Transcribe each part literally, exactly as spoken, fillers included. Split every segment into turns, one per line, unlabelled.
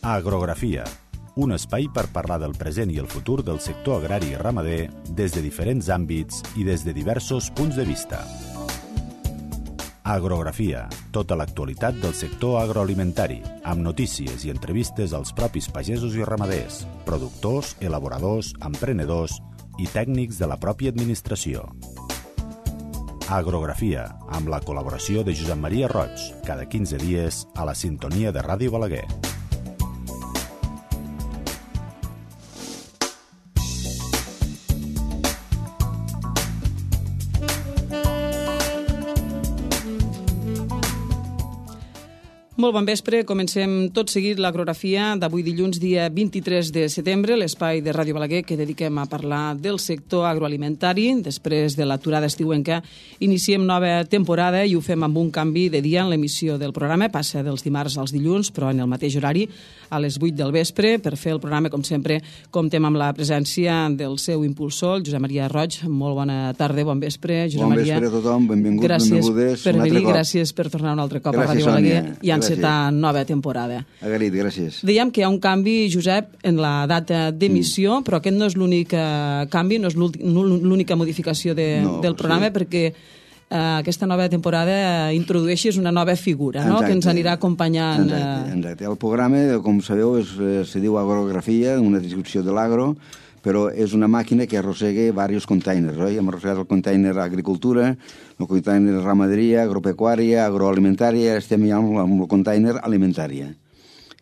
Agrografia, un espai per parlar del present i el futur del sector agrari i ramader des de diferents àmbits i des de diversos punts de vista. Agrografia, tota l'actualitat del sector agroalimentari, amb notícies i entrevistes als propis pagesos i ramaders, productors, elaboradors, emprenedors i tècnics de la pròpia administració. Agrografia, amb la col·laboració de Josep Maria Roig, cada quinze dies a la sintonia de Ràdio Balaguer.
Molt bon vespre. Comencem tot seguit l'agrografia d'avui dilluns, dia vint-i-tres de setembre, l'espai de Ràdio Balaguer que dediquem a parlar del sector agroalimentari. Després de l'aturada estiuenca iniciem nova temporada i ho fem amb un canvi de dia en l'emissió del programa. Passa dels dimarts als dilluns, però en el mateix horari, a les vuit del vespre. Per fer el programa, com sempre, comptem amb la presència del seu impulsor, el Josep Maria Roig. Molt bona tarda, bon vespre, Josep
bon
Maria.
Bon vespre a tothom, benvinguts,
gràcies
benvingudes.
Per venir, gràcies per tornar un altre cop gràcies, a Ràdio Balaguer i encetar nova temporada.
Agraït, gràcies.
Dèiem que hi ha un canvi, Josep, en la data d'emissió, mm. però aquest no és l'únic canvi, no és l'única modificació de, no, del programa, sí. perquè eh, aquesta nova temporada introdueixes una nova figura, no? Que ens anirà acompanyant.
Exacte, exacte. El programa, com sabeu, és, se diu agrografia, una descripció de l'agro, però és una màquina que arrossega diversos containers, oi? Hem arrossegat el container agricultura, el container ramaderia, agropecuària, agroalimentària, estem ja amb el container alimentària,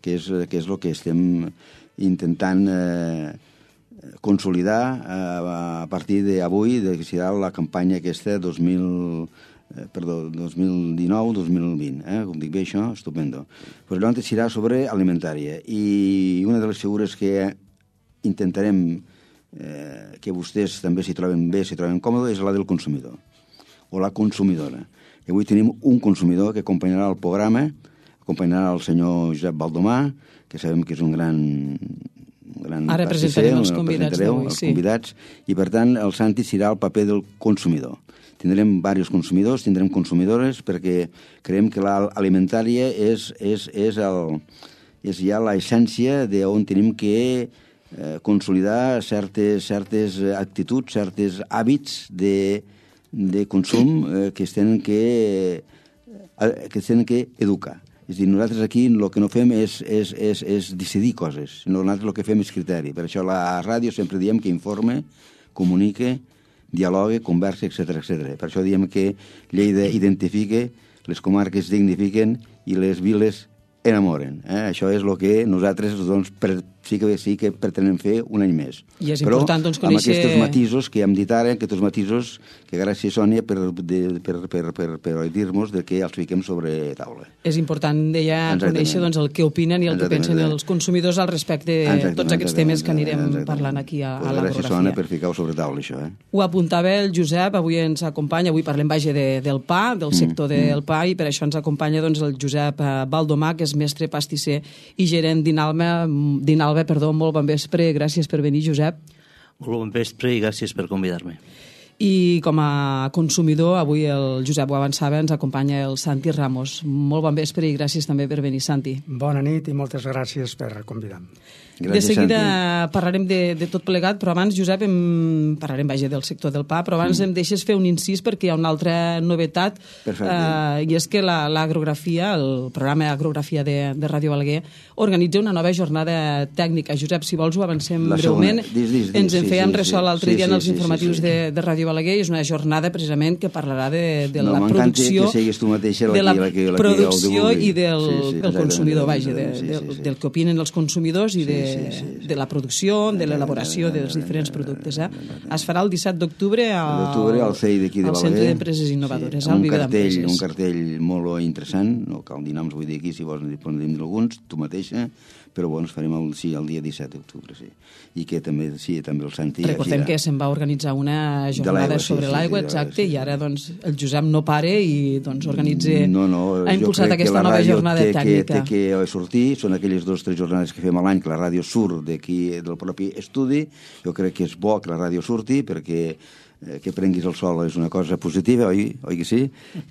que és, que és el que estem intentant eh, consolidar eh, a partir d'avui, que serà la campanya aquesta dos mil, eh, perdó, dos mil dinou dos mil vint, eh? Com dic bé això, estupendo. Pues llavors serà sobre alimentària, i una de les figures que intentarem eh, que vostès també s'hi troben bé, s'hi troben còmodes, és la del consumidor, o la consumidora. I avui tenim un consumidor que acompanyarà el programa, acompanyarà el senyor Josep Baldomà, que sabem que és un gran... Un gran
Ara presentarem els convidats d'avui,
els convidats, i per tant el Santi serà el paper del consumidor. Tindrem diversos consumidors, tindrem consumidores, perquè creiem que l'alimentària és, és, és, el, és ja l'essència d'on tenim que Eh, consolidar certes, certes actituds, certes hàbits de, de consum eh, que es tenen que, eh, que es tenen que educar. És a dir, nosaltres aquí el que no fem és, és, és, és decidir coses, sinó nosaltres el que fem és criteri. Per això a la ràdio sempre diem que informe, comunique, dialogue, conversa, etcètera, etcètera. Per això diem que Lleida identifique, les comarques dignifiquen i les viles enamoren. Eh? Això és el que nosaltres doncs, per, sí, que, sí que pretenem fer un any més.
I és
però
important doncs, conèixer...
amb aquests matisos que hem dit ara, aquests matisos que gràcies, Sònia, per, de, per, per, per, per dir-nos de que els fiquem sobre taula.
És important, deia, conèixer doncs, el que opinen i el que pensen els consumidors al respecte de tots aquests temes que anirem parlant aquí a, a l'agrografia.
Gràcies, Sònia, per ficar-ho sobre taula, això. Eh?
Ho apuntava el Josep, avui ens acompanya, avui parlem vaja de, del pa, del sector mm, del pa, i per això ens acompanya doncs, el Josep Baldomà, que és mestre pastisser i gerent d'Inalba. d'Inalba, perdó, molt bon vespre. Gràcies per venir, Josep.
Molt bon vespre i gràcies per convidar-me.
I com a consumidor, avui el Josep ho avançava, ens acompanya el Santi Ramos. Molt bon vespre i gràcies també per venir, Santi.
Bona nit i moltes gràcies per convidar-me.
Gràcies, de seguida Santi. Parlarem de, de tot plegat, però abans, Josep, em... parlarem vaja del sector del pa, però abans mm. em deixes fer un incís perquè hi ha una altra novetat, eh, i és que l'agrografia, el programa Agrografia de, de Ràdio Balaguer, organitza una nova jornada tècnica. Josep, si vols ho avancem la breument.
Dis, dis, dis,
Ens en
sí,
fèiem
sí,
ressò
sí,
l'altre
sí,
dia
sí,
en els
sí,
informatius
sí, sí.
De, de Ràdio Balaguer, i és una jornada precisament que parlarà de, de
no,
la producció,
que tu mateixa,
de la,
la, que, la, la
producció
que
i del,
sí, sí,
del consumidor, vaja, de,
sí, sí, sí.
del que opinen els consumidors i de,
sí, sí, sí, sí.
de la producció, de l'elaboració dels diferents productes. Eh? Es farà el disset d'octubre al,
al C E I d'aquí de
al
Balaguer.
Centre d'Empreses Innovadores,
sí,
al
un
Viver
cartell,
d'Empreses.
un cartell molt interessant, no cal dir noms, vull dir aquí, si vols dir alguns, tu mateixa, però bueno, ens farem el, sí, el dia disset d'octubre, sí. I que també, sí, també el Santi...
Recordem que se'n va organitzar una jornada sobre
sí,
l'aigua,
sí,
exacte,
sí, sí.
i ara doncs, el Josep no pare i doncs, organitza,
no, no,
ha impulsat aquesta nova jornada
té
tècnica.
Que, té que sortir, són aquelles dues o tres jornades que fem a l'any que la ràdio surt d'aquí del propi estudi. Jo crec que és bo que la ràdio surti perquè que prenguis el sol és una cosa positiva, oi, oi que sí?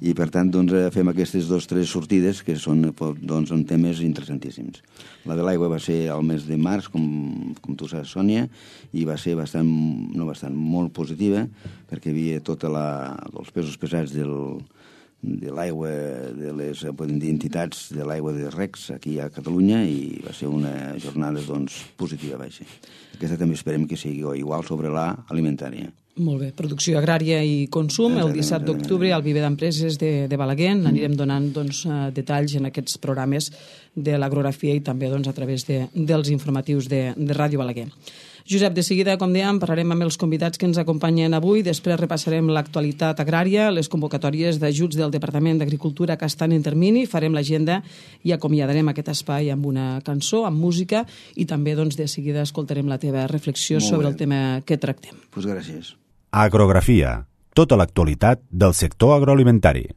I per tant doncs, fem aquestes dues o tres sortides que són, doncs, són temes interessantíssims. La de l'aigua va ser al mes de març, com, com tu saps, Sònia, i va ser bastant, no bastant, molt positiva, perquè hi havia tota la, els pesos pesats del, de l'aigua, de les podem dir, entitats de l'aigua de recs aquí a Catalunya, i va ser una jornada doncs, positiva, vaja. Aquesta també esperem que sigui igual sobre la alimentària.
Molt bé. Producció agrària i consum, el disset d'octubre al Viver d'Empreses de, de Balaguer. Anirem donant doncs, detalls en aquests programes de l'agrografia i també doncs, a través de, dels informatius de, de Ràdio Balaguer. Josep, de seguida, com dèiem, parlarem amb els convidats que ens acompanyen avui. Després repassarem l'actualitat agrària, les convocatòries d'ajuts del Departament d'Agricultura que estan en termini, farem l'agenda i acomiadarem aquest espai amb una cançó, amb música, i també doncs, de seguida escoltarem la teva reflexió sobre el tema que tractem.
Pues gràcies.
Agrografia, tota l'actualitat del sector agroalimentari.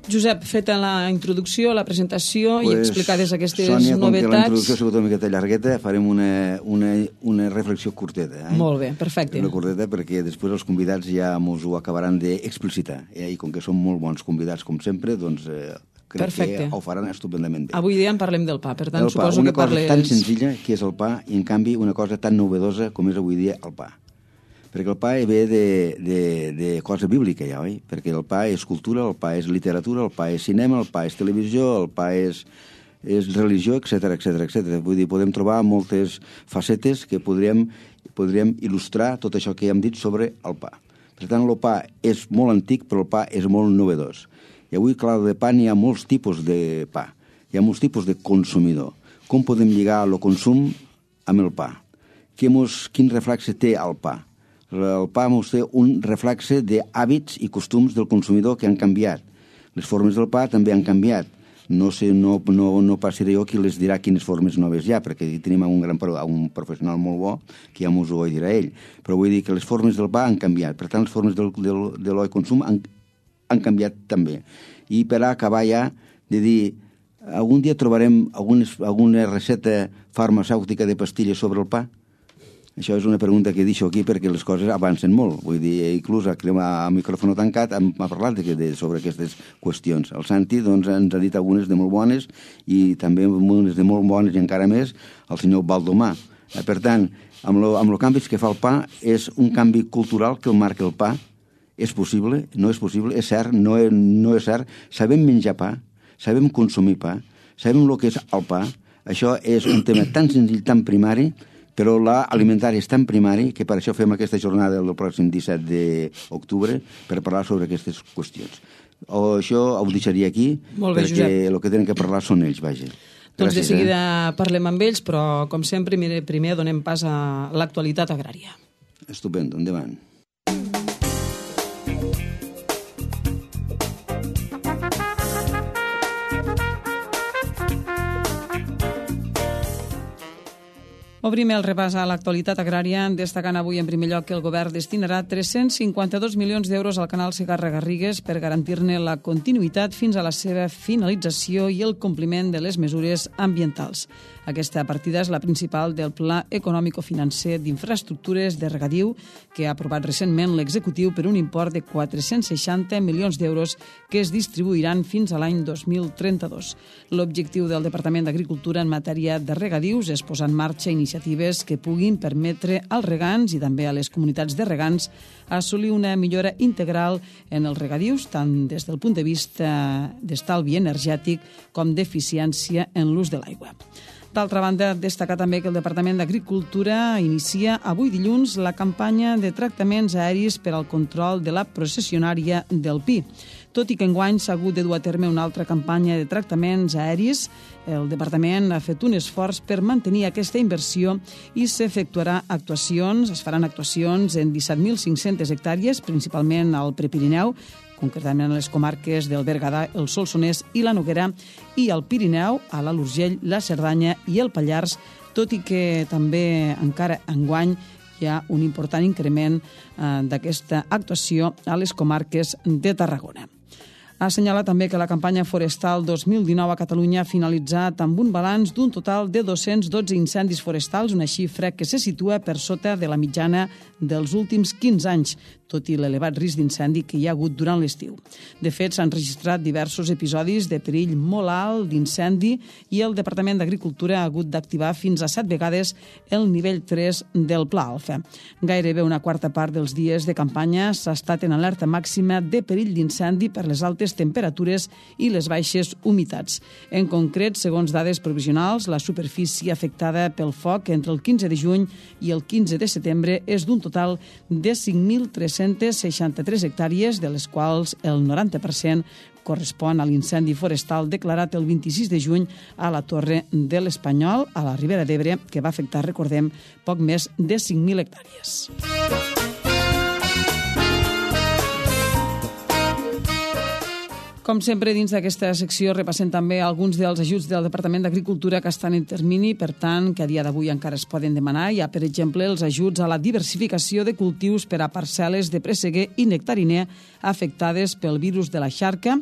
Josep, feta la introducció, la presentació
pues,
i explicades aquestes
Sònia,
novetats...
Sònia, com que la introducció ha sigut una miqueta llargueta, farem una, una, una reflexió curteta. Eh?
Molt bé, perfecte.
Una curteta perquè després els convidats ja ens ho acabaran d'explicitar. Eh? I com que són molt bons convidats, com sempre, doncs eh, crec Perfecte. que ho faran estupendament bé.
Avui dia en parlem del pa, per tant
el
suposo
pa,
que parles...
Una cosa tan senzilla que és el pa i en canvi una cosa tan novedosa com és avui dia el pa. Perquè el pa ve de, de, de cosa bíblica ja, oi? Perquè el pa és cultura, el pa és literatura, el pa és cinema, el pa és televisió, el pa és, és religió, etcètera, etcètera, etcètera. Vull dir, podem trobar moltes facetes que podríem, podríem il·lustrar tot això que ja hem dit sobre el pa. Per tant, el pa és molt antic, però el pa és molt novedós. I avui, clar, de pa n'hi ha molts tipus de pa. Hi ha molts tipus de consumidor. Com podem lligar el consum amb el pa? Quin reflexe té el pa? El pa mos té un reflexe d'hàbits i costums del consumidor que han canviat. Les formes del pa també han canviat. No sé, no, no, no passaré jo qui les dirà quines formes noves hi ha, perquè tenim un, gran, un professional molt bo que ja mos ho dirà ell. Però vull dir que les formes del pa han canviat. Per tant, les formes del, del, de l'oi consum han, han canviat també. I per acabar ja de dir, algun dia trobarem algunes, alguna recepta farmacèutica de pastilles sobre el pa? Això és una pregunta que deixo aquí perquè les coses avancen molt. Vull dir, inclús a, a micròfon tancat m'ha parlat de, de, sobre aquestes qüestions. El Santi doncs, ens ha dit algunes de molt bones i també unes de molt bones i encara més el senyor Baldomà. Per tant, amb el amb lo canvis que fa el pa és un canvi cultural que el marca el pa. És possible? No és possible? És cert? No és, no és cert? Sabem menjar pa? Sabem consumir pa? Sabem el que és el pa? Això és un tema tan senzill, tan primari, però l'alimentari és tan primari que per això fem aquesta jornada el pròxim disset d'octubre per parlar sobre aquestes qüestions. O això ho deixaria aquí,
bé,
perquè
Josep.
el que tenen que parlar són ells, vaja.
Gràcies, doncs de seguida
eh?
parlem amb ells, però com sempre primer donem pas a l'actualitat agrària.
Estupendo, endavant.
Obrim el repàs a l'actualitat agrària, destacant avui en primer lloc que el govern destinarà tres-cents cinquanta-dos milions d'euros al canal Segarra-Garrigues per garantir-ne la continuïtat fins a la seva finalització i el compliment de les mesures ambientals. Aquesta partida és la principal del Pla Econòmico-Financer d'Infraestructures de Regadiu que ha aprovat recentment l'executiu per un import de quatre-cents seixanta milions d'euros que es distribuiran fins a l'any dos mil trenta-dos. L'objectiu del Departament d'Agricultura en matèria de regadius és posar en marxa iniciatives que puguin permetre als regants i també a les comunitats de regants assolir una millora integral en els regadius, tant des del punt de vista d'estalvi energètic com d'eficiència en l'ús de l'aigua. D'altra banda, destacar també que el Departament d'Agricultura inicia avui dilluns la campanya de tractaments aeris per al control de la processionària del pi. Tot i que enguany s'ha hagut de dur a terme una altra campanya de tractaments aeris, el Departament ha fet un esforç per mantenir aquesta inversió i s'efectuarà actuacions, es faran actuacions en disset mil cinc-centes hectàrees, principalment al Prepirineu, concretament a les comarques del Berguedà, el Solsonès i la Noguera, i al Pirineu, a l'Alt Urgell, la Cerdanya i el Pallars, tot i que també encara enguany hi ha un important increment eh, d'aquesta actuació a les comarques de Tarragona. Ha assenyalat també que la campanya forestal dos mil dinou a Catalunya ha finalitzat amb un balanç d'un total de dos-cents dotze incendis forestals, una xifra que se situa per sota de la mitjana dels últims quinze anys, tot i l'elevat risc d'incendi que hi ha hagut durant l'estiu. De fet, s'han registrat diversos episodis de perill molt alt d'incendi i el Departament d'Agricultura ha hagut d'activar fins a set vegades el nivell tres del Pla Alfa. Gairebé una quarta part dels dies de campanya s'ha estat en alerta màxima de perill d'incendi per les altes temperatures i les baixes humitats. En concret, segons dades provisionals, la superfície afectada pel foc entre el quinze de juny i el quinze de setembre és d'un total de cinc mil tres-cents seixanta-tres hectàrees, de les quals el noranta per cent correspon a l'incendi forestal declarat el vint-i-sis de juny a la Torre de l'Espanyol, a la Ribera d'Ebre, que va afectar, recordem, poc més de cinc mil hectàrees. Com sempre, dins d'aquesta secció repassem també alguns dels ajuts del Departament d'Agricultura que estan en termini, per tant, que a dia d'avui encara es poden demanar. Hi ha, per exemple, els ajuts a la diversificació de cultius per a parcel·les de presseguer i nectariner afectades pel virus de la xarca,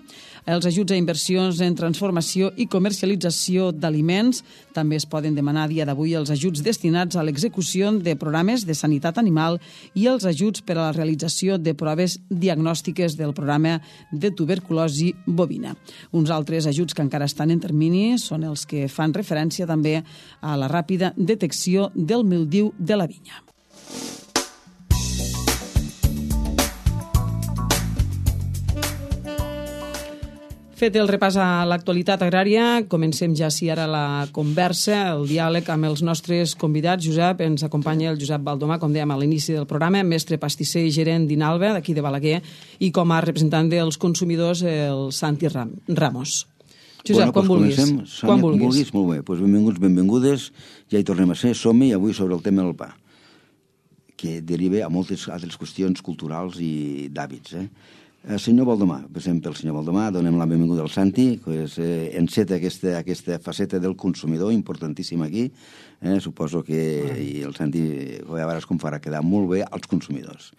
els ajuts a inversions en transformació i comercialització d'aliments. També es poden demanar a dia d'avui els ajuts destinats a l'execució de programes de sanitat animal i els ajuts per a la realització de proves diagnòstiques del programa de tuberculosi bovina. Uns altres ajuts que encara estan en termini són els que fan referència també a la ràpida detecció del mildiu de la vinya. Fet el repàs a l'actualitat agrària, comencem ja sí ara la conversa, el diàleg amb els nostres convidats. Josep, ens acompanya el Josep Baldomà, com dèiem a l'inici del programa, mestre pastisser i gerent d'Inalba, d'aquí de Balaguer, i com a representant dels consumidors, el Santi Ram Ramos. Josep,
bueno,
quan
pues
vulguis.
Comencem.
Quan vulguis.
vulguis. Molt bé, pues benvinguts, benvingudes. Ja hi tornem a ser. Som-hi avui sobre el tema del pa, que deriva a moltes altres qüestions culturals i d'hàbits, eh? El senyor Baldomà, passem pel senyor Baldomà, donem la benvinguda al Santi, que és, eh, enceta aquesta, aquesta faceta del consumidor, importantíssima aquí. Eh, suposo que i el Santi, a veure com farà quedar molt bé als consumidors.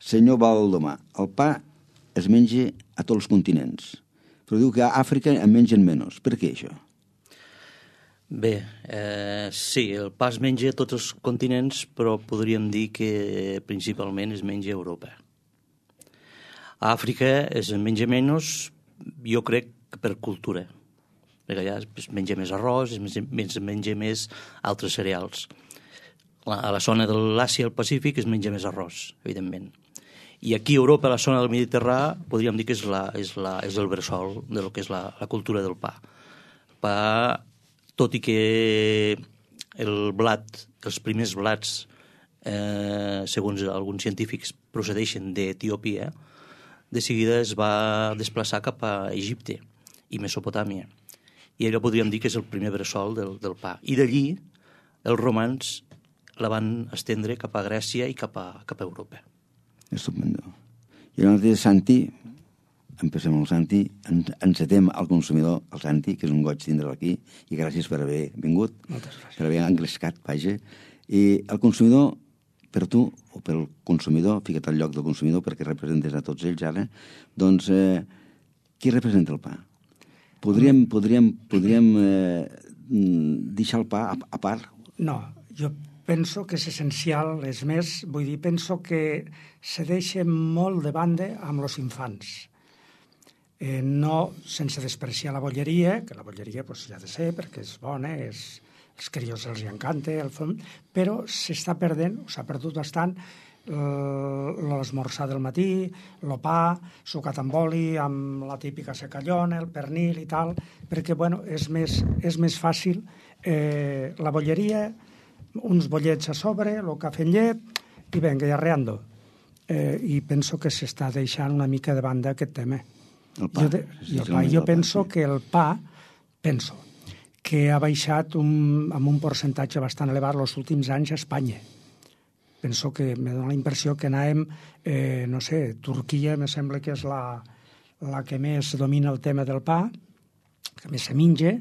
Senyor Baldomà, el pa es menja a tots els continents, però diu que a Àfrica en mengen menys. Per què això?
Bé, eh, sí, el pa es menja a tots els continents, però podríem dir que principalment es menja a Europa. A Àfrica es menja menys, jo crec que per cultura, perquè allà es menja més arròs, es menja, menja més altres cereals. A la zona de l'Àsia i el Pacífic es menja més arròs, evidentment. I aquí a Europa, a la zona del Mediterrà, podríem dir que és, la, és, la, és el bressol del que és la, la cultura del pa. El pa, tot i que el blat, els primers blats, eh, segons alguns científics, procedeixen d'Etiòpia, de seguida es va desplaçar cap a Egipte i Mesopotàmia. I allò podríem dir que és el primer bressol del, del pa. I d'allí els romans la van estendre cap a Grècia i cap a, cap a Europa.
Estupendo. I llavors, Santi, empecem amb el Santi, encetem al consumidor, el Santi, que és un goig tindre'l aquí, i gràcies per haver vingut.
Moltes gràcies.
Per haver engrescat, vaja. I el consumidor, per tu o pel consumidor, fica't al lloc del consumidor perquè representes a tots ells ara, doncs eh, qui representa el pa? Podríem, podríem, podríem eh, deixar el pa a, a part?
No, jo penso que és essencial, és més, vull dir, penso que se deixa molt de banda amb els infants. Eh, no sense despreciar la bolleria, que la bolleria pues, ja ha de ser perquè és bona, és... els crios els encanta, el fum, però s'està perdent, s'ha perdut bastant l'esmorzar del matí, el pa, sucat amb oli, amb la típica secallona, el pernil i tal, perquè bueno, és, més, és més fàcil eh, la bolleria, uns bollets a sobre, el cafè amb llet, i venga, i arreando. Eh, I penso que s'està deixant una mica de banda aquest tema.
El pa.
Jo, de, i el pa, jo penso que el pa, penso, que ha baixat un, amb un percentatge bastant elevat els últims anys a Espanya. Penso que me dona la impressió que anàvem, eh, no sé, Turquia me sembla que és la, la que més domina el tema del pa, que més se menja.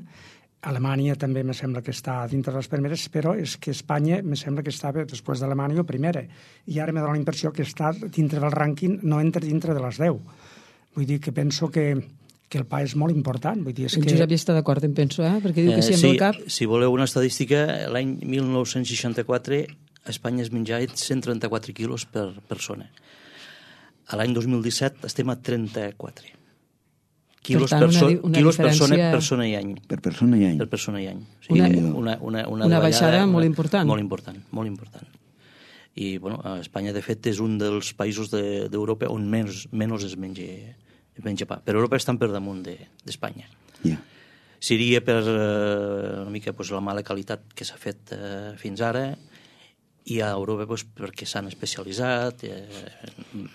Alemanya també me sembla que està dintre de les primeres, però és que Espanya me sembla que estava després d'Alemanya primera. I ara me dona la impressió que està dintre del rànquing, no entra dintre de les deu. Vull dir que penso que, que el pa és molt important. Vull dir, és
en
que...
Josep hi està d'acord, em penso, eh? Perquè diu que si
Eh,
amb
sí,
el cap...
si voleu una estadística, l'any mil nou-cents seixanta-quatre a Espanya es menjava cent trenta-quatre quilos per persona. A l'any dos mil disset estem a trenta-quatre quilos per,
tant, una
so,
di- una
quilos
diferència-
persona, persona i any.
Per persona i any.
Per persona i any. O sigui,
Una-
una, una, una,
una baixada
davallada,
molt
una-
important.
Molt important, molt important. I, bueno, a Espanya, de fet, és un dels països de- d'Europa on menys, menys es menja, es menja pa. Però Europa estan per damunt de- d'Espanya.
Ja.
Seria per eh, una mica pues, la mala qualitat que s'ha fet eh, fins ara, i a Europa pues, perquè s'han especialitzat, eh,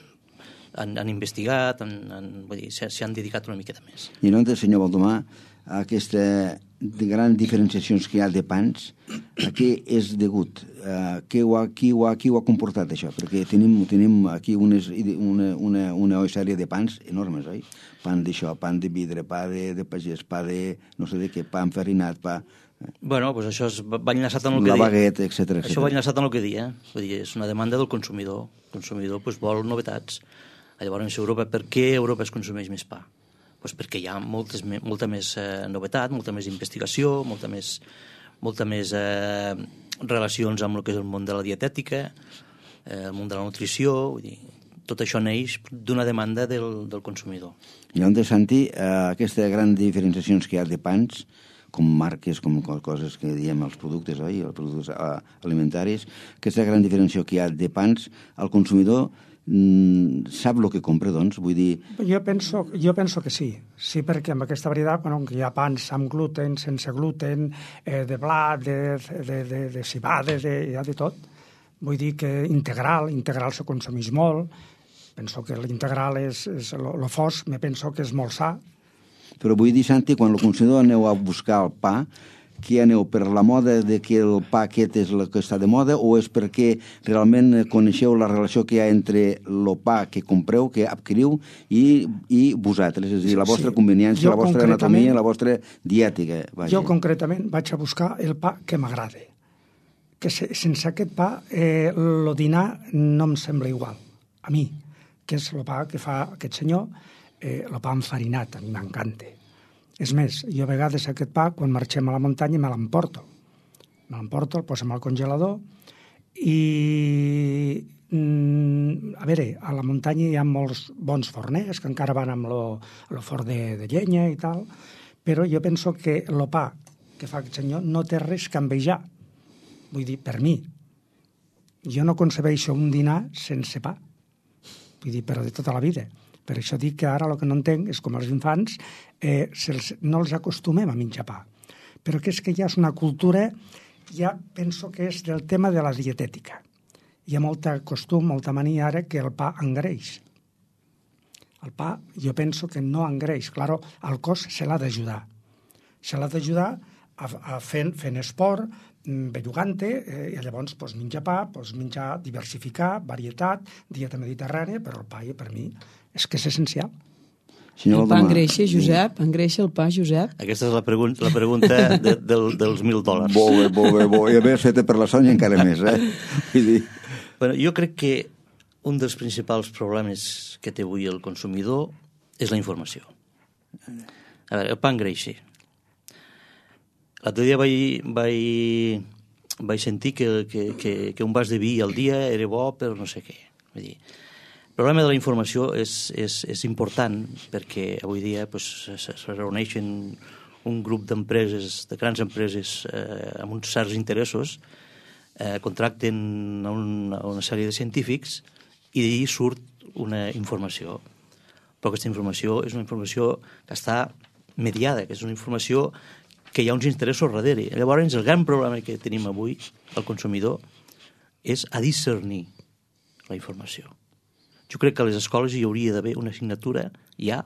han, han investigat, han, han, vull dir, s'hi han dedicat una miqueta més.
I llavors, senyor Baldomà, aquesta de grans diferenciacions que hi ha de pans, a què és degut? Uh, qui, ho ha, qui, ho ha, qui ho ha comportat, això? Perquè tenim, tenim aquí unes, una, una, una sèrie de pans enormes, oi? Pan d'això, pan de vidre, pa de, de pagès, pa de no sé de què, pa enfarinat, pa...
Bueno, pues això és, va enllaçat amb el que
La
deia.
baguette, etcètera,
Això va
etcètera.
enllaçat amb el que deia. Vull dir, és una demanda del consumidor. El consumidor pues, vol novetats. Llavors, Europa, per què Europa es consumeix més pa? Pues perquè hi ha moltes, molta més eh, novetat, molta més investigació, molta més, molta més eh, relacions amb el que és el món de la dietètica, eh, el món de la nutrició, vull dir, tot això neix d'una demanda del, del consumidor.
Llavors, Santi, eh, aquestes grans diferenciacions que hi ha de pans, com marques, com coses que diem els productes, oi? Els productes eh, alimentaris, aquesta gran diferenciació que hi ha de pans, el consumidor mm, sap el que compra, doncs? Vull dir...
Jo penso, jo penso que sí. Sí, perquè amb aquesta varietat, bueno, que hi ha pans amb gluten, sense gluten, eh, de blat, de, de, de, de cibada, de, hi ha de tot. Vull dir que integral, integral se consumeix molt. Penso que l'integral és, és lo fos, me penso que és molt sa.
Però vull dir, Santi, quan el consumidor aneu a buscar el pa, que aneu per la moda de que el pa aquest és el que està de moda, o és perquè realment coneixeu la relació que hi ha entre el pa que compreu, que adquiriu, i, i vosaltres, és a dir, la vostra
Sí.
conveniència,
Jo
la vostra
concretament-
anatomia, la vostra diètica. Vaja.
Jo concretament vaig a buscar el pa que m'agrada. Que se, sense aquest pa eh, el dinar no em sembla igual. A mi, que és el pa que fa aquest senyor, eh, el pa enfarinat, a mi m'encanta. És més, jo a vegades aquest pa, quan marxem a la muntanya, me l'emporto. Me l'emporto, el posem al congelador i... Mm, a veure, a la muntanya hi ha molts bons forners que encara van amb lo, lo forn de, de llenya i tal, però jo penso que el pa que fa aquest senyor no té res que envejar. Vull dir, per mi. Jo no concebeixo un dinar sense pa. Vull dir, però de tota la vida. Per això dic que ara el que no entenc és com els infants eh, se'ls, no els acostumem a menjar pa. Però que és que ja és una cultura, ja penso que és del tema de la dietètica. Hi ha molta costum, molta mania ara que el pa engreix. El pa jo penso que no engreix. Claro, al cos se l'ha d'ajudar. Se l'ha d'ajudar a, a fent, fent esport, bellugant-te, eh, i llavors pues, menjar pa, pues, menjar, diversificar, varietat, dieta mediterrània, però el pa per mi és que és essencial.
Senyor
El pa
Valdemar,
engreixa, Josep? Engreixa el pa, Josep?
Aquesta és la, pregun la pregunta de, del, dels mil dòlars.
Bo, bé, bo, bé, bo. I a més, feta per la Sònia encara més, eh? Vull dir...
Bueno, jo crec que un dels principals problemes que té avui el consumidor és la informació. A veure, el pa engreixa. L'altre dia vaig, vaig, vaig sentir que, que, que, que un vas de vi al dia era bo per no sé què. Vull dir, el problema de la informació és, és, és important perquè avui dia pues, se, se reuneixen un grup d'empreses, de grans empreses eh, amb uns certs interessos, eh, contracten a una, a una sèrie de científics i d'ahir surt una informació. Però aquesta informació és una informació que està mediada, que és una informació que hi ha uns interessos darrere. Llavors, el gran problema que tenim avui, el consumidor, és a discernir la informació. Jo crec que a les escoles hi hauria d'haver una assignatura ja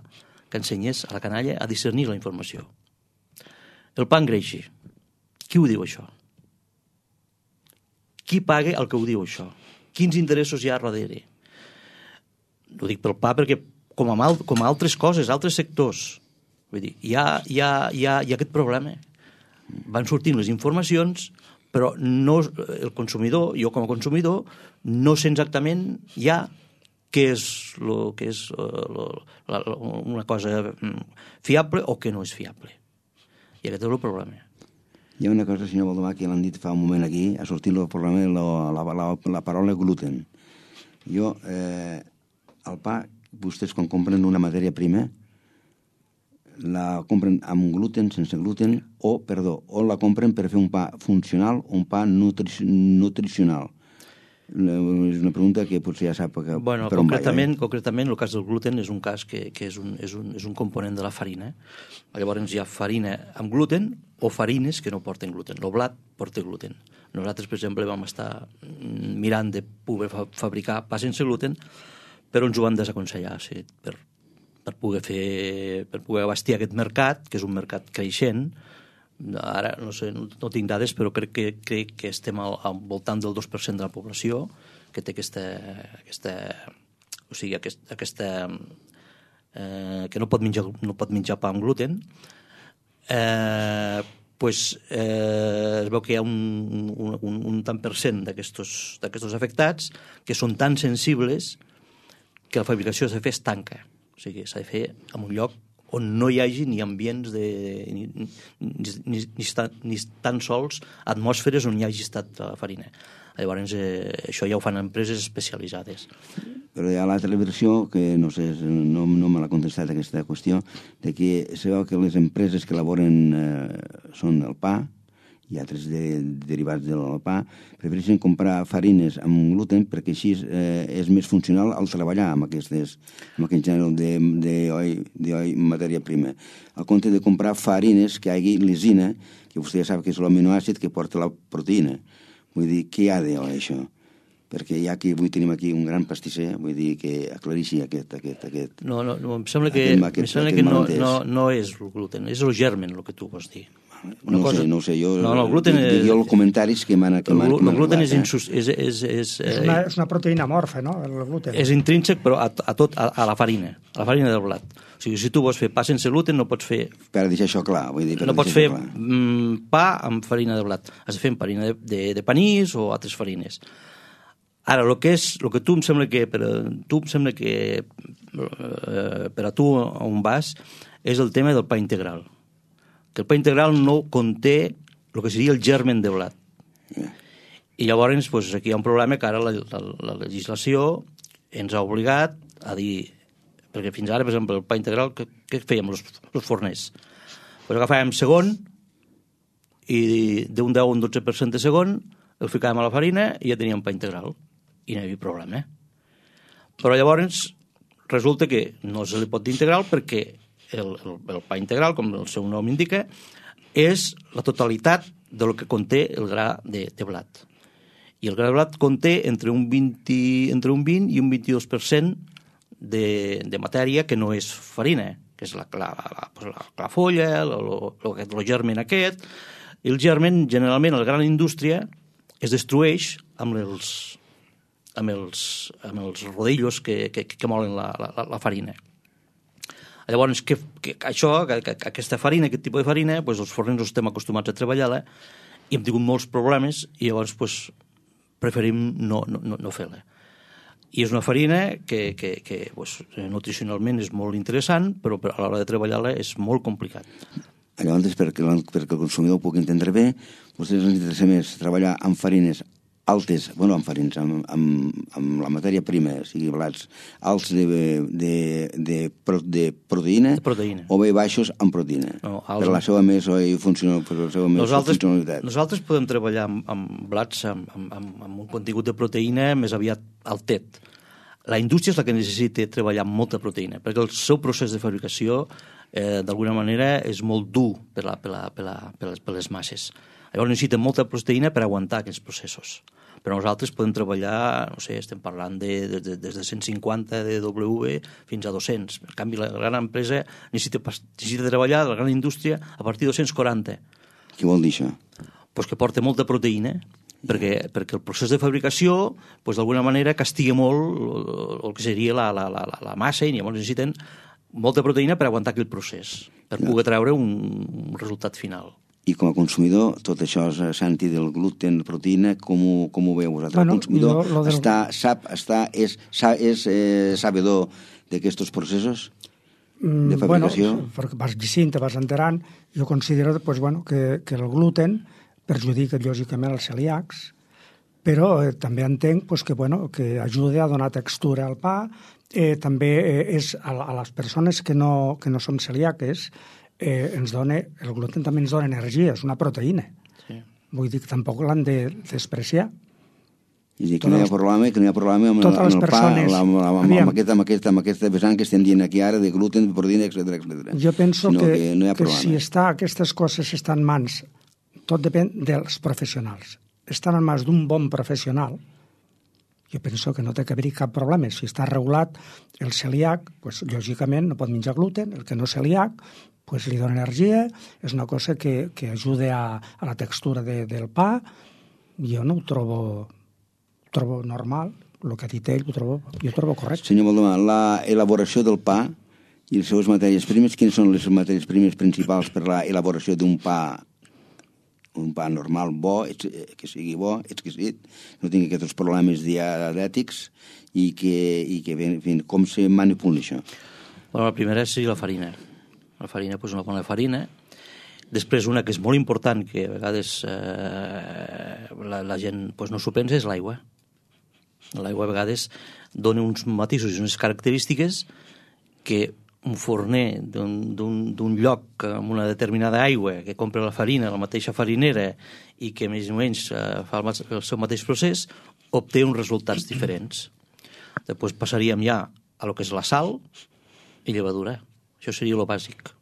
que ensenyés a la canalla a discernir la informació. El pa engreixa. Qui ho diu, això? Qui paga el que ho diu, això? Quins interessos hi ha darrere? Ho dic pel pa perquè, com a, mal, com a altres coses, altres sectors, vull dir, hi ha, hi ha, hi ha, hi ha aquest problema. Van sortint les informacions, però no, el consumidor, jo com a consumidor, no sé exactament ja què és, lo, què és lo, la, una cosa fiable o què no és fiable. I aquest és el problema.
Hi ha una cosa, senyor Baldomà, que l'han dit fa un moment aquí, ha sortit el programa la, la, la, la paraula gluten. Jo, eh, el pa, vostès quan compren una matèria prima, la compren amb gluten, sense gluten, o, perdó, o la compren per fer un pa funcional o un pa nutri nutricional. És una pregunta que potser ja sap que,
bueno,
per on
concretament,
va.
Concretament, el cas del gluten és un cas que, que és, un, és, un, és un component de la farina. Llavors hi ha farina amb gluten o farines que no porten gluten. El blat porta gluten. Nosaltres, per exemple, vam estar mirant de poder fa fabricar pa sense gluten, però ens ho van desaconsellar, sí, per, per poder fer, per poder abastir aquest mercat, que és un mercat creixent. Ara, no sé, no, no tinc dades, però crec que, crec que estem al, al voltant del dos per cent de la població que té aquesta, aquesta o sigui, aquest, aquesta eh, que no pot menjar, no pot menjar pa amb gluten. Eh, pues, eh, es veu que hi ha un, un, un, un tant per cent d'aquests afectats que són tan sensibles que la fabricació s'ha de fer es tanca. O sigui, s'ha de fer en un lloc on no hi hagi ni ambients de, ni, ni, ni, ni, ni tan sols atmosferes on hi hagi estat la farina. Llavors, eh, això ja ho fan empreses especialitzades.
Però hi ha l'altra versió, que no sé, no, no me l'ha contestat aquesta qüestió, de que se veu que les empreses que elaboren eh, són el pa, i altres de, derivats del pa, prefereixen comprar farines amb gluten perquè així eh, és més funcional al treballar amb, aquestes, amb aquest gènere d'oli, matèria prima. Al compte de comprar farines que hi hagi lisina, que vostè ja sap que és l'aminoàcid que porta la proteïna. Vull dir, què hi ha d'això, això? Perquè ja que avui tenim aquí un gran pastisser, vull dir que aclarixi aquest... aquest, aquest
no, no, no, em sembla que, aquest, em sembla que no, no, no és el gluten, és el germen el que tu vols dir.
Una no cosa... sé, no sé, jo...
No, no, el gluten és...
Jo els comentaris que m'han...
El, el gluten és, insus... és, és, és,
és, una, és una proteïna amorfa, no?, el gluten.
És intrínsec, però a, a tot, a, a la farina, a la farina del blat. O sigui, si tu vols fer pa sense gluten, no pots fer...
Per deixar això clar, vull dir...
No pots fer mm, pa amb farina de blat. Has de fer amb farina de, de, de panís o altres farines. Ara, el que és, el que tu em sembla que, per, tu em sembla que eh, per a tu on vas, és el tema del pa integral. Que el pa integral no conté el que seria el germen de blat. I llavors, pues, aquí hi ha un problema que ara la, la, la legislació ens ha obligat a dir, perquè fins ara, per exemple, el pa integral, què, què fèiem els, els forners? Pues agafàvem segon i d'un deu a un dotze per cent de segon el ficàvem a la farina i ja teníem pa integral. I no hi havia problema. Però llavors resulta que no se li pot dir integral perquè el, el, el pa integral, com el seu nom indica, és la totalitat del que conté el gra de, de blat. I el gra de blat conté entre un vint, entre un vint i un vint-i-dos per cent de, de matèria que no és farina, que és la, la, la, la, la folla, el germen aquest. I el germen, generalment, a la gran indústria, es destrueix amb els, amb els, amb els rodillos que, que, que molen la, la, la farina. Llavors, que, que això, que, que, aquesta farina, aquest tipus de farina, pues, els forners no estem acostumats a treballar-la i hem tingut molts problemes i llavors pues, preferim no, no, no fer-la. I és una farina que, que, que pues, nutricionalment és molt interessant, però a l'hora de treballar-la és molt complicat.
Llavors, perquè, perquè el consumidor ho pugui entendre bé, vostès ens interessa més treballar amb farines altes, bueno, amb farins, amb, amb, amb la matèria prima, o sigui, blats alts de, de, de, de, proteïna,
de proteïna,
o bé baixos amb proteïna, no, els... per la seva més funcional, per la seva més
nosaltres,
funcionalitat.
Nosaltres podem treballar amb, amb blats amb, amb, amb, amb un contingut de proteïna més aviat altet. La indústria és la que necessita treballar amb molta proteïna, perquè el seu procés de fabricació, eh, d'alguna manera, és molt dur per, la, per, la, per, la, per, les, per les masses. Llavors necessita molta proteïna per aguantar aquests processos. Però nosaltres podem treballar, no sé, estem parlant de, de, de, des de cent cinquanta de W fins a dos-cents. En canvi, la gran empresa necessita, necessita treballar, la gran indústria, a partir de dos-cents quaranta.
Què vol dir això?
Pues que porta molta proteïna, perquè, perquè el procés de fabricació, pues, d'alguna manera, castiga molt el, el que seria la, la, la, la massa i llavors necessiten molta proteïna per aguantar aquell procés, per poder treure un, un resultat final.
I com a consumidor, tot això, Santi, del gluten, proteïna, com ho, com ho veu vosaltres? Bueno, el consumidor jo, del... està, sap, està, és, és eh, sabedor d'aquests processos de fabricació?
Bueno, perquè vas llegint, te vas enterant. Jo considero pues, bueno, que, que el gluten perjudica lògicament els celíacs, però eh, també entenc pues, que, bueno, que ajuda a donar textura al pa. Eh, també eh, és a, a les persones que no, que no som celíaques, eh, ens dona, el gluten també ens dona energia, és una proteïna. Sí. Vull dir que tampoc l'han de despreciar.
És dir, que no hi ha problema, que no hi ha problema amb, amb el persones, pa, amb, amb, amb, amb, aquest, amb, aquest, amb aquesta vessant que estem dient aquí ara, de gluten, de proteïna, etcètera, etcètera.
Jo penso que,
que, no
que si està, aquestes coses estan en mans, tot depèn dels professionals. Estan en mans d'un bon professional, jo penso que no té que haver-hi cap problema. Si està regulat el celíac, pues, lògicament no pot menjar gluten, el que no és celíac, pues, li dona energia, és una cosa que, que ajuda a, a la textura de, del pa. Jo no ho trobo, ho trobo normal, el que ha dit ell ho trobo, jo ho trobo correcte.
Senyor Valdemar, l'elaboració del pa i les seves matèries primeres, quines són les matèries primeres principals per a l'elaboració d'un pa un pa normal, bo, que sigui bo, exquisit, no tingui aquests problemes dietètics i que, i que en fi, com se manipula això?
Bueno, la primera és la farina. La farina, doncs una bona farina. Després una que és molt important, que a vegades eh, la, la gent doncs, no s'ho pensa, és l'aigua. L'aigua a vegades dona uns matisos i unes característiques que un forner d'un lloc amb una determinada aigua que compra la farina, la mateixa farinera, i que més o menys eh, fa el, el seu mateix procés, obté uns resultats diferents. Després passaríem ja a lo que és la sal i llevadura. Això seria el bàsic.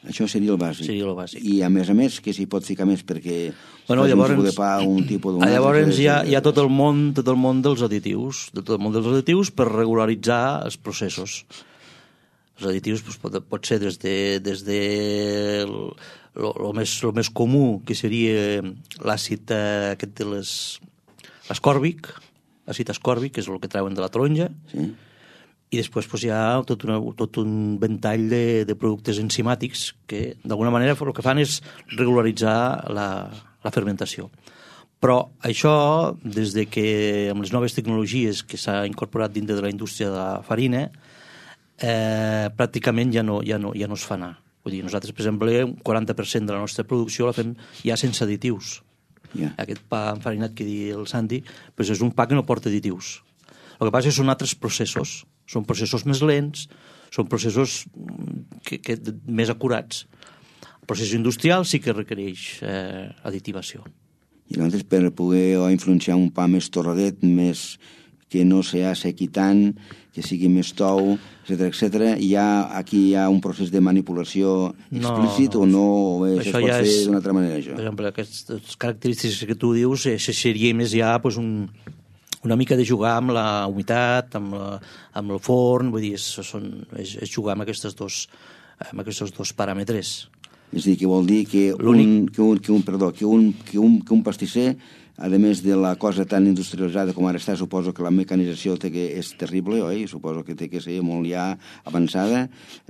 Això seria el bàsic.
Seria el bàsic.
I a més a més, que s'hi pot ficar més perquè
bueno, llavors,
un tipus de pa, un tipus d'un...
Llavors hi ha, hi ha tot el món, tot el món dels additius, tot el món dels additius per regularitzar els processos. Els additius doncs, pot, pot ser des de, des de el, lo, lo, més, lo més comú, que seria l'àcid eh, aquest de les ascòrbic, àcid ascòrbic, que és el que treuen de la taronja, sí. I després doncs, hi ha tot, una, tot un ventall de, de productes enzimàtics que, d'alguna manera, el que fan és regularitzar la, la fermentació. Però això, des de que amb les noves tecnologies que s'ha incorporat dintre de la indústria de la farina, Eh, pràcticament ja no, ja, no, ja no es fa anar. Vull dir, nosaltres, per exemple, un quaranta per cent de la nostra producció la fem ja sense additius. Yeah. Aquest pa enfarinat que diu el Santi doncs és un pa que no porta additius. El que passa és que són altres processos. Són processos més lents, són processos que, que, més acurats. El procés industrial sí que requereix eh, additivació.
I llavors, per poder influenciar un pa més torradet, més que no s'assequi tant, que sigui més tou, etcètera, etcètera, hi ha, aquí hi ha un procés de manipulació explícit no, no, o bé, això es pot ja fer d'una altra manera, això?
Per exemple, aquestes característiques que tu dius, això seria més ja pues, un, una mica de jugar amb la humitat, amb, la, amb el forn, vull dir, és, són, és, és jugar amb aquests dos, amb aquests dos paràmetres.
És a dir, que vol dir que un, que un, que un, perdó, que un, que un, que un pastisser, a més de la cosa tan industrialitzada com ara està, suposo que la mecanització té que és terrible, oi? Suposo que té que ser molt ja avançada.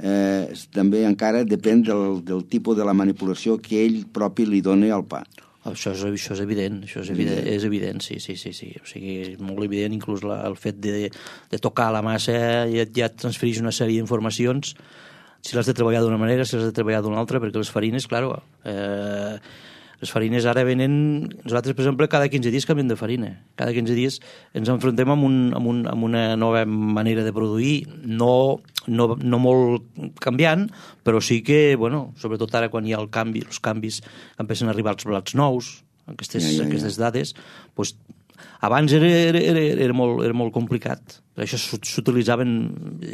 Eh, també encara depèn del, del tipus de la manipulació que ell propi li dona al pa.
Això és, això és evident, això és evident, és evident, sí, sí, sí, sí. O sigui, és molt evident, inclús la, el fet de, de tocar la massa ja, ja et transfereix una sèrie d'informacions, si l'has de treballar d'una manera, si l'has de treballar d'una altra, perquè les farines, clar, eh, les farines ara venen... Nosaltres, per exemple, cada quinze dies canviem de farina. Cada quinze dies ens enfrontem amb, un, amb, un, amb una nova manera de produir, no, no, no molt canviant, però sí que, bueno, sobretot ara quan hi ha el canvi, els canvis, empiecen a arribar els blats nous, aquestes, ja, ja, ja. aquestes dades, doncs, abans era, era, era, era, molt, era molt complicat. Per això s'utilitzaven,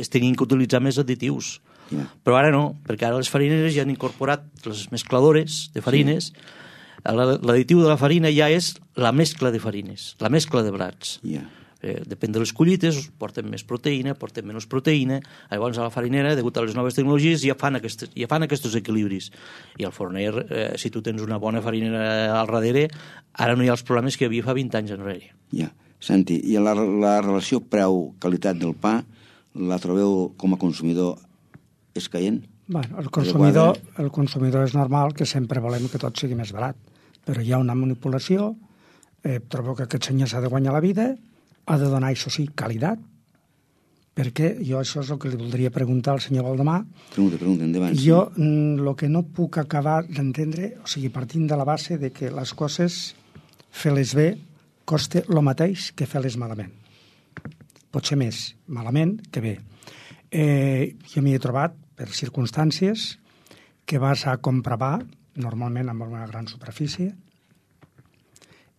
es tenien que utilitzar més additius. Yeah. Però ara no, perquè ara les farineres ja han incorporat les mescladores de farines. Sí. L'additiu de la farina ja és la mescla de farines, la mescla de blats. Yeah. Eh, depèn de les collites, porten més proteïna, porten menys proteïna. Llavors a la farinera, degut a les noves tecnologies, ja fan, aquestes, ja fan aquests equilibris. I al forner, eh, si tu tens una bona farinera al darrere, ara no hi ha els problemes que hi havia fa vint anys enrere.
Ja. Yeah. Santi, i la, la relació preu-qualitat del pa la trobeu com a consumidor escaient?
Bueno, el consumidor, el consumidor és normal que sempre volem que tot sigui més barat, però hi ha una manipulació, eh, trobo que aquest senyor s'ha de guanyar la vida, ha de donar, això sí, qualitat, perquè jo això és el que li voldria preguntar al senyor Valdemar.
Pregunta, pregunta, endavant.
Jo el que no puc acabar d'entendre, o sigui, partint de la base de que les coses, fer-les bé, costa el mateix que fer-les malament. Pot ser més malament que bé. Eh, jo m'hi he trobat, per circumstàncies, que vas a comprar pa, normalment amb una gran superfície,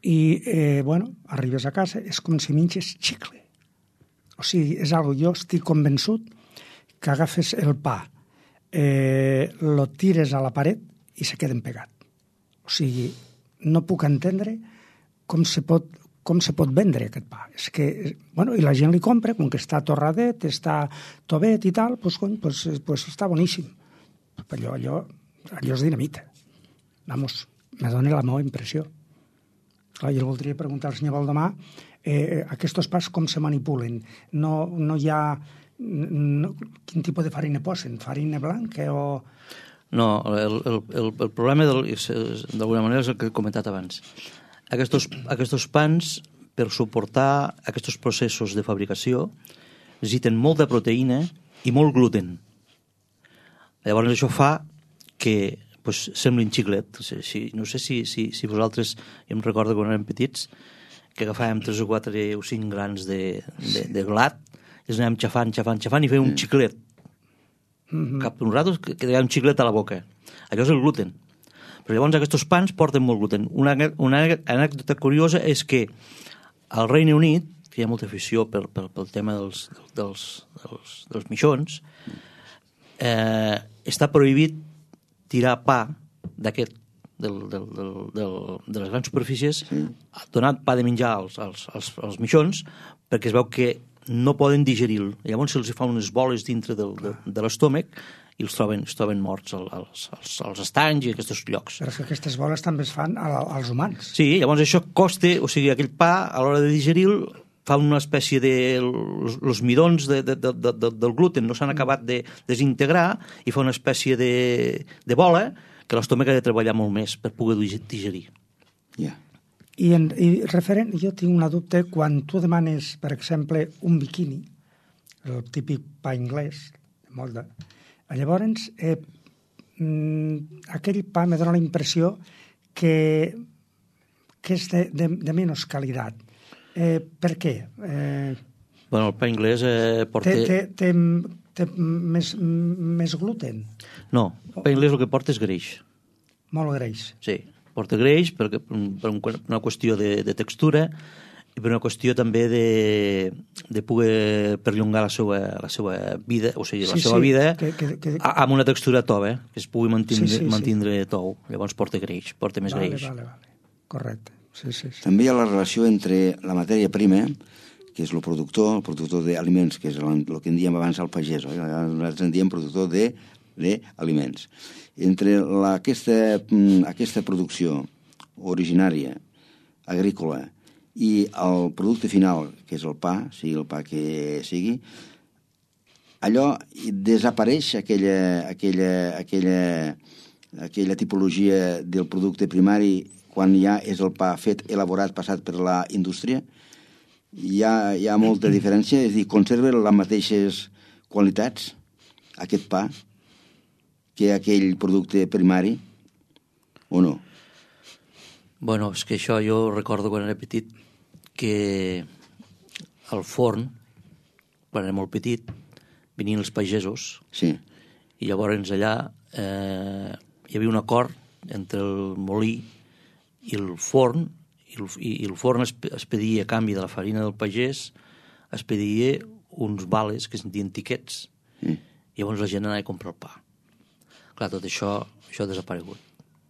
i, eh, bueno, arribes a casa, és com si menges xicle. O sigui, és algo, jo estic convençut que agafes el pa, eh, lo tires a la paret i se queden pegat. O sigui, no puc entendre com se pot, com se pot vendre aquest pa. És que, bueno, i la gent li compra, com que està torradet, està tovet i tal, doncs, cony, pues, pues està boníssim. Però allò, allò, allò és dinamita. Vamos, me dona la meva impressió. Clar, jo voldria preguntar al senyor Valdemar eh, aquests pas com se manipulen. No, no hi ha... No, quin tipus de farina posen? Farina blanca o...
No, el, el, el, el problema d'alguna manera és el que he comentat abans. Aquests, aquests pans, per suportar aquests processos de fabricació, necessiten molta proteïna i molt gluten. Llavors això fa que pues, semblin xiclet. O sigui, si, no sé si, si, si vosaltres, jo em recordo quan érem petits, que agafàvem tres o quatre o cinc grans de, de, de blat, i els anàvem xafant, xafant, xafant, i fèiem un xiclet. Mm-hmm. Cap d'un rato que hi ha un xiclet a la boca. Allò és el gluten. Però llavors aquests pans porten molt gluten. Una, una anècdota curiosa és que al Regne Unit, que hi ha molta afició per, per, pel tema dels, dels, dels, dels mixons, eh, està prohibit tirar pa d'aquest, del, del, del, del, de les grans superfícies, sí. Donar pa de menjar als, als, als, als mixons, perquè es veu que no poden digerir-lo. Llavors se'ls fa unes boles dintre del, de, de l'estómac i els troben, es troben morts als, als, als estanys i a aquests llocs.
Però és que aquestes boles també es fan als humans.
Sí, llavors això costa, o sigui, aquell pa, a l'hora de digerir-lo, fa una espècie de... Els midons de, de, de, de, del gluten no s'han acabat de desintegrar i fa una espècie de, de bola que l'estómac ha de treballar molt més per poder digerir.
Ja. Yeah.
I, en, I referent, jo tinc una dubte, quan tu demanes, per exemple, un biquini, el típic pa anglès, molt de... Llavors, eh, aquell pa me dona la impressió que, que és de, de, de menys qualitat. Eh, per què? Eh,
bueno, el pa anglès eh, porta...
Té, té, té, té més, més gluten?
No, el pa anglès el que porta és greix.
Molt greix.
Sí, porta greix per, per una qüestió de, de textura i per una qüestió també de, de poder perllongar la seva, la seva vida, o sigui, la sí, seva sí, vida que, que, que... amb una textura tova, que es pugui mantindre, sí, sí, mantindre sí. tou. Llavors porta greix, porta més
vale,
greix.
Vale, vale. Correcte. Sí, sí, sí.
També hi ha la relació entre la matèria prima, que és el productor, el productor d'aliments, que és el, el que en diem abans el pagès, oi? Nosaltres en diem productor d'aliments. Entre la, aquesta, aquesta producció originària, agrícola, i el producte final, que és el pa, sigui el pa que sigui, allò desapareix aquella, aquella, aquella, aquella tipologia del producte primari quan ja és el pa fet, elaborat, passat per la indústria. Hi ha, hi ha molta diferència, és a dir, conserva les mateixes qualitats aquest pa que aquell producte primari, o no?
Bueno, és que això jo recordo quan era petit que al forn, quan era molt petit, venien els pagesos
sí.
i llavors allà eh, hi havia un acord entre el molí i el forn, i el, i el forn es, es pedia a canvi de la farina del pagès, es pedia uns vales que es dien tiquets, mm. i llavors la gent anava a comprar el pa. Clar, tot això, això ha desaparegut.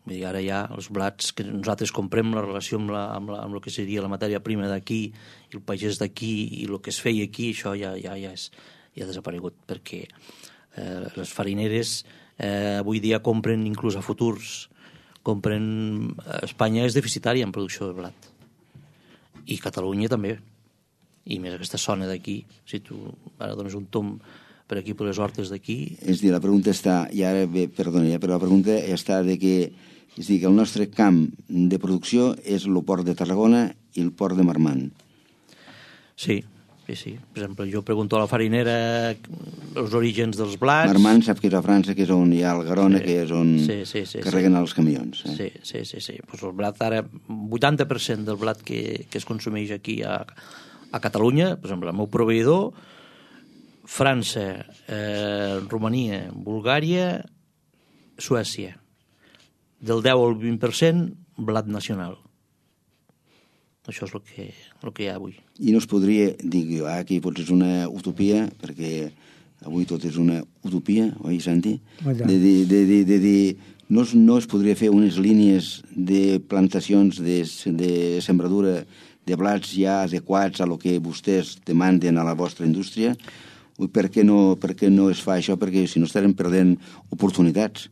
Vull dir, ara ja els blats que nosaltres comprem, la relació amb, la, amb, la, amb el que seria la matèria prima d'aquí, i el pagès d'aquí, i el que es feia aquí, això ja, ja, ja, és, ja ha desaparegut, perquè eh, les farineres eh, avui dia compren inclús a futurs, compren... Espanya és deficitària en producció de blat. I Catalunya també. I més aquesta zona d'aquí, si tu ara dones un tomb per aquí, per les hortes d'aquí.
És a dir, la pregunta està, i ara, bé, perdoni, però la pregunta està de que, és a dir, que el nostre camp de producció és el port de Tarragona i el port de Marmant.
Sí, sí, sí. Per exemple, jo pregunto a la farinera els orígens dels blats.
Marmant sap que és a França, que és on hi ha el Garona, sí, que és on
sí, sí, sí,
carreguen
sí.
els camions. Eh?
Sí, sí, sí. sí. Pues el blat ara, vuitanta per cent del blat que, que es consumeix aquí a, a Catalunya, per exemple, el meu proveïdor, França, eh, Romania, Bulgària, Suècia. Del deu al vint per cent, blat nacional. Això és el que, el que hi ha avui.
I no es podria, dic jo, aquí potser és una utopia, perquè avui tot és una utopia, oi, Santi? De, de, de, de, de, de, no, es, no es podria fer unes línies de plantacions de, de sembradura de blats ja adequats a lo que vostès demanden a la vostra indústria? Per què no, per què no es fa això? Perquè si no estarem perdent oportunitats.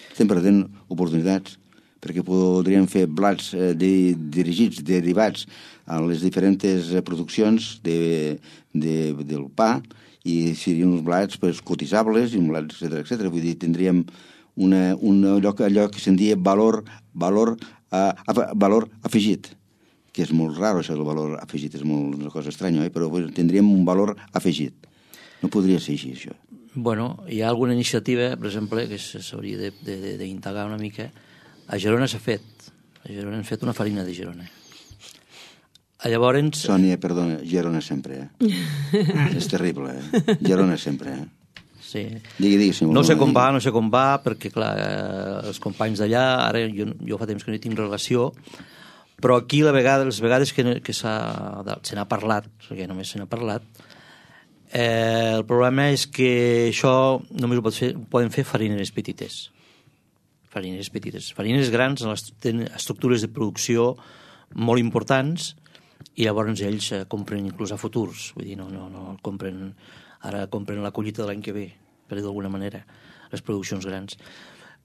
Estem perdent oportunitats, perquè podríem fer blats eh, de, dirigits, derivats a les diferents produccions de, de, del pa, i serien uns blats pues, cotitzables, i un blats, etcètera, etcètera. Vull dir, tindríem una, una, allò, que, allò que se'n diu valor, valor, a, a, valor afegit, que és molt raro això del valor afegit, és molt, una cosa estranya, eh? Però pues, tindríem un valor afegit. No podria ser així, això.
Bueno, hi ha alguna iniciativa, per exemple, que s'hauria d'integrar una mica. A Girona s'ha fet. A Girona han fet una farina de Girona. A llavors...
Sònia, perdona, Girona sempre, eh? És terrible, eh? Girona sempre, eh?
Sí.
Digui, digui, si
no sé com va, no sé com va, perquè, clar, eh, els companys d'allà, ara jo, jo fa temps que no hi tinc relació, però aquí, la vegada, les vegades que, que se n'ha parlat, perquè només se n'ha parlat, Eh, el problema és que això només ho, pot fer, ho poden fer farineres petites. Farineres petites. Farineres grans tenen estructures de producció molt importants i llavors ells eh, compren inclús a futurs. Vull dir, no, no, no compren, ara compren la collita de l'any que ve, per dir d'alguna manera, les produccions grans.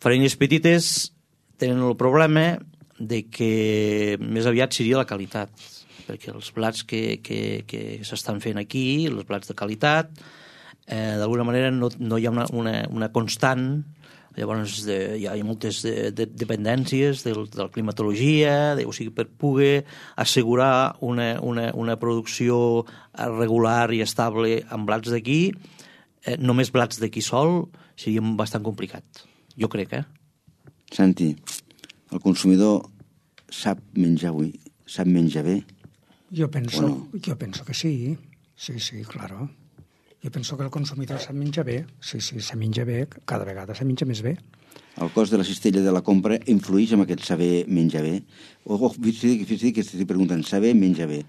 Farineres petites tenen el problema de que més aviat seria la qualitat, perquè els plats que, que, que s'estan fent aquí, els plats de qualitat, eh, d'alguna manera no, no hi ha una, una, una constant, llavors de, hi ha moltes de, de, dependències de, de la climatologia, de, o sigui, per poder assegurar una, una, una producció regular i estable amb blats d'aquí, eh, només blats d'aquí sol seria bastant complicat, jo crec, eh?
Santi, el consumidor sap menjar avui, sap menjar bé?
Yo penso,
bueno.
yo penso que sí, sí, sí, claro. Jo penso que el consumidor se menja bé, sí, sí, se menja bé, cada vegada se menja més bé.
El cost de la cistella de la compra influeix en aquest saber menjar bé? O, o fins i tot que estic preguntant, saber menjar bé?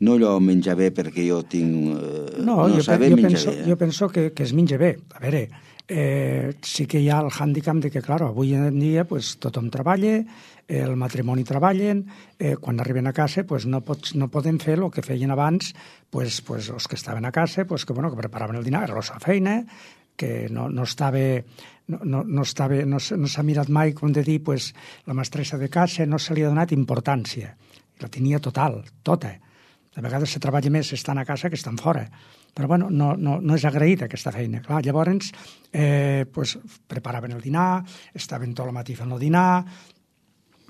No allò menjar bé perquè jo tinc... Eh,
no,
no
jo,
saber
jo,
menjar
penso,
bé. Eh?
jo penso que, que es menja bé. A veure, eh, sí que hi ha el hàndicap de que, clar, avui en dia pues, tothom treballa, el matrimoni treballen, eh, quan arriben a casa pues, no, pots, no poden fer el que feien abans pues, pues, els que estaven a casa, pues, que, bueno, que preparaven el dinar, era la seva feina, que no, no estava... No, no, no, estava, no, no s'ha mirat mai, com de dir, pues, la mestressa de casa no se li ha donat importància. La tenia total, tota. De vegades se treballa més estant a casa que estan fora. Però bueno, no, no, no és agraïda aquesta feina. Clar, llavors eh, pues, preparaven el dinar, estaven tot el matí fent el dinar,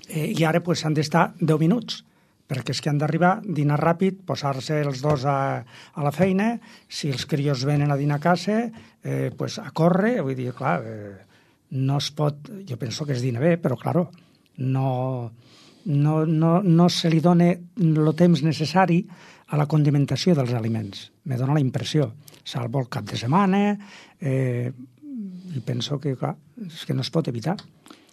eh, i ara pues, han d'estar deu minuts, perquè és que han d'arribar, dinar ràpid, posar-se els dos a, a la feina, si els crios venen a dinar a casa, eh, pues, a córrer, vull dir, clar, eh, no es pot... Jo penso que es dina bé, però, clar, no, no, no, no se li dona el temps necessari a la condimentació dels aliments. Me dona la impressió. Salvo el cap de setmana, eh, i penso que, clar, és que no es pot evitar.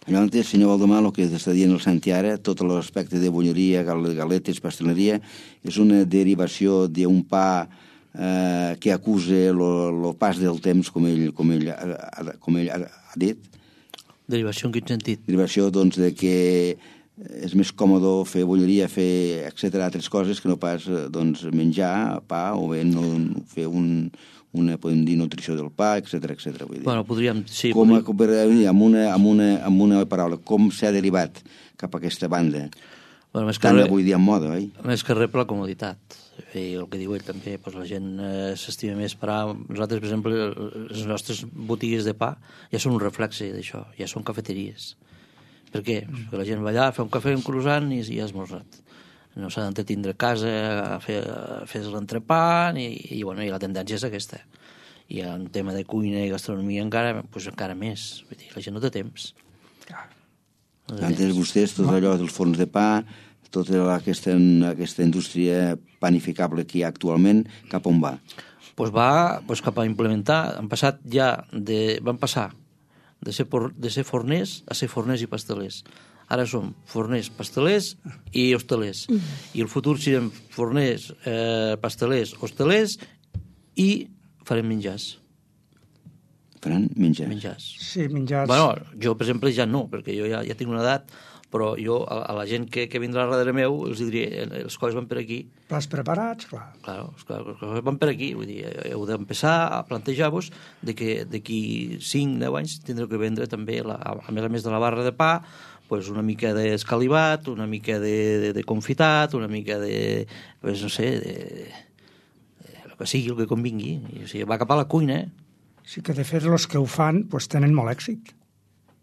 Llavors, senyor Valdemar, el que està dient el Santi ara, tot l'aspecte de bolleria, galetes, pasteleria, és una derivació d'un pa eh, que acusa el pas del temps, com ell, com ell, com ell ha dit.
Derivació en quin sentit?
Derivació, doncs, de que és més còmode fer bolleria, fer, etcètera, altres coses que no pas doncs, menjar pa o bé no fer un... una, podem dir, nutrició del pa, etcètera, etcètera. Vull dir.
Bueno, podríem... Sí,
com,
podríem...
amb, una, amb, una, amb una paraula, com s'ha derivat cap a aquesta banda?
Bueno, més
tant
re,
avui dia en moda, oi?
Més que res per la comoditat. I el que diu ell també, doncs la gent eh, s'estima més parar. Nosaltres, per exemple, les nostres botigues de pa ja són un reflexe d'això, ja són cafeteries. Per què? Perquè la gent va allà, fa un cafè, un croissant i ja ha esmorzat. No s'ha d'entretindre a casa a fer, a fer l'entrepà i, i, bueno, i la tendència és aquesta. I en tema de cuina i gastronomia encara, doncs encara més. Vull dir, la gent no té temps. No té
Antes
temps.
vostès, tot allò dels forns de pa, tota aquesta, aquesta indústria panificable que hi ha actualment, cap on va?
Pues va pues cap a implementar. Han passat ja de, van passar de ser, por, de ser forners a ser forners i pastelers. Ara som forners, pastelers i hostelers. I el futur serem forners, eh, pastelers, hostelers i farem menjars.
Faran menjar.
menjars.
Sí, menjars...
Bueno, jo, per exemple, ja no, perquè jo ja, ja tinc una edat, però jo, a, a la gent que, que vindrà darrere meu, els diré, els coses van per aquí.
Plats preparats, clar.
Claro, els coses van per aquí. Vull dir, heu d'empezar a plantejar-vos de que d'aquí cinc deu anys tindreu que vendre també, la, a més a més de la barra de pa, pues una mica d'escalivat, una mica de, de, de confitat, una mica de, pues, no sé, de, de, el que sigui, el que convingui. I, o sigui, va cap a la cuina, eh?
Sí que, de fet, els que ho fan pues, tenen molt èxit.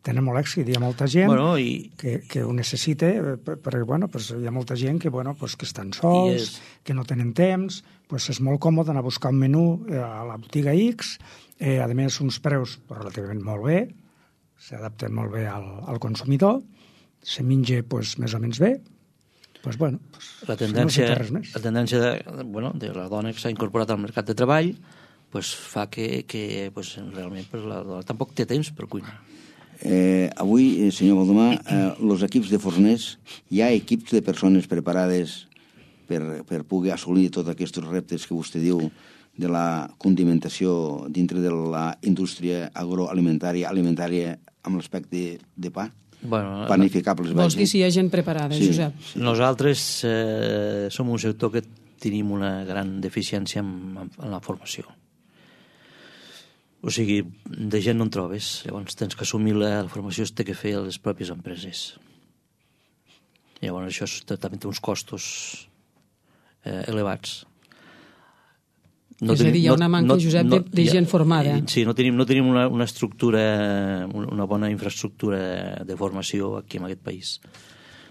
Tenen molt èxit. Hi ha molta gent
Bueno, i-
que, que ho necessita, eh, per- perquè bueno, pues, hi ha molta gent que, bueno, pues, que estan sols,
és-
que no tenen temps, pues, és molt còmode anar a buscar un menú eh, a la botiga X, eh, a més uns preus relativament molt bé, s'adapten molt bé al, al consumidor, se menja pues, més o menys bé, pues, bueno, pues,
la
no
tendència,
sé res més.
la tendència de, bueno, de la dona que s'ha incorporat al mercat de treball pues, fa que, que pues, realment pues, la dona tampoc té temps per cuinar.
Eh, avui, eh, senyor Baldomà, eh, els equips de forners, hi ha equips de persones preparades per, per poder assolir tots aquests reptes que vostè diu de la condimentació dintre de la indústria agroalimentària, alimentària, amb l'aspecte de pa?
Bueno,
Panificables,
Vols dir
vaja.
si hi ha gent preparada,
Sí,
Josep?
sí.
Nosaltres eh, som un sector que tenim una gran deficiència en, en la formació. O sigui, de gent no en trobes. Llavors tens que assumir la, la formació es té que fer a les pròpies empreses. Llavors això és, també té uns costos eh, elevats.
És a dir, hi ha una manca, Josep, de- de gent formada.
Sí, no tenim, no tenim una, una estructura, una bona infraestructura de formació aquí en aquest país.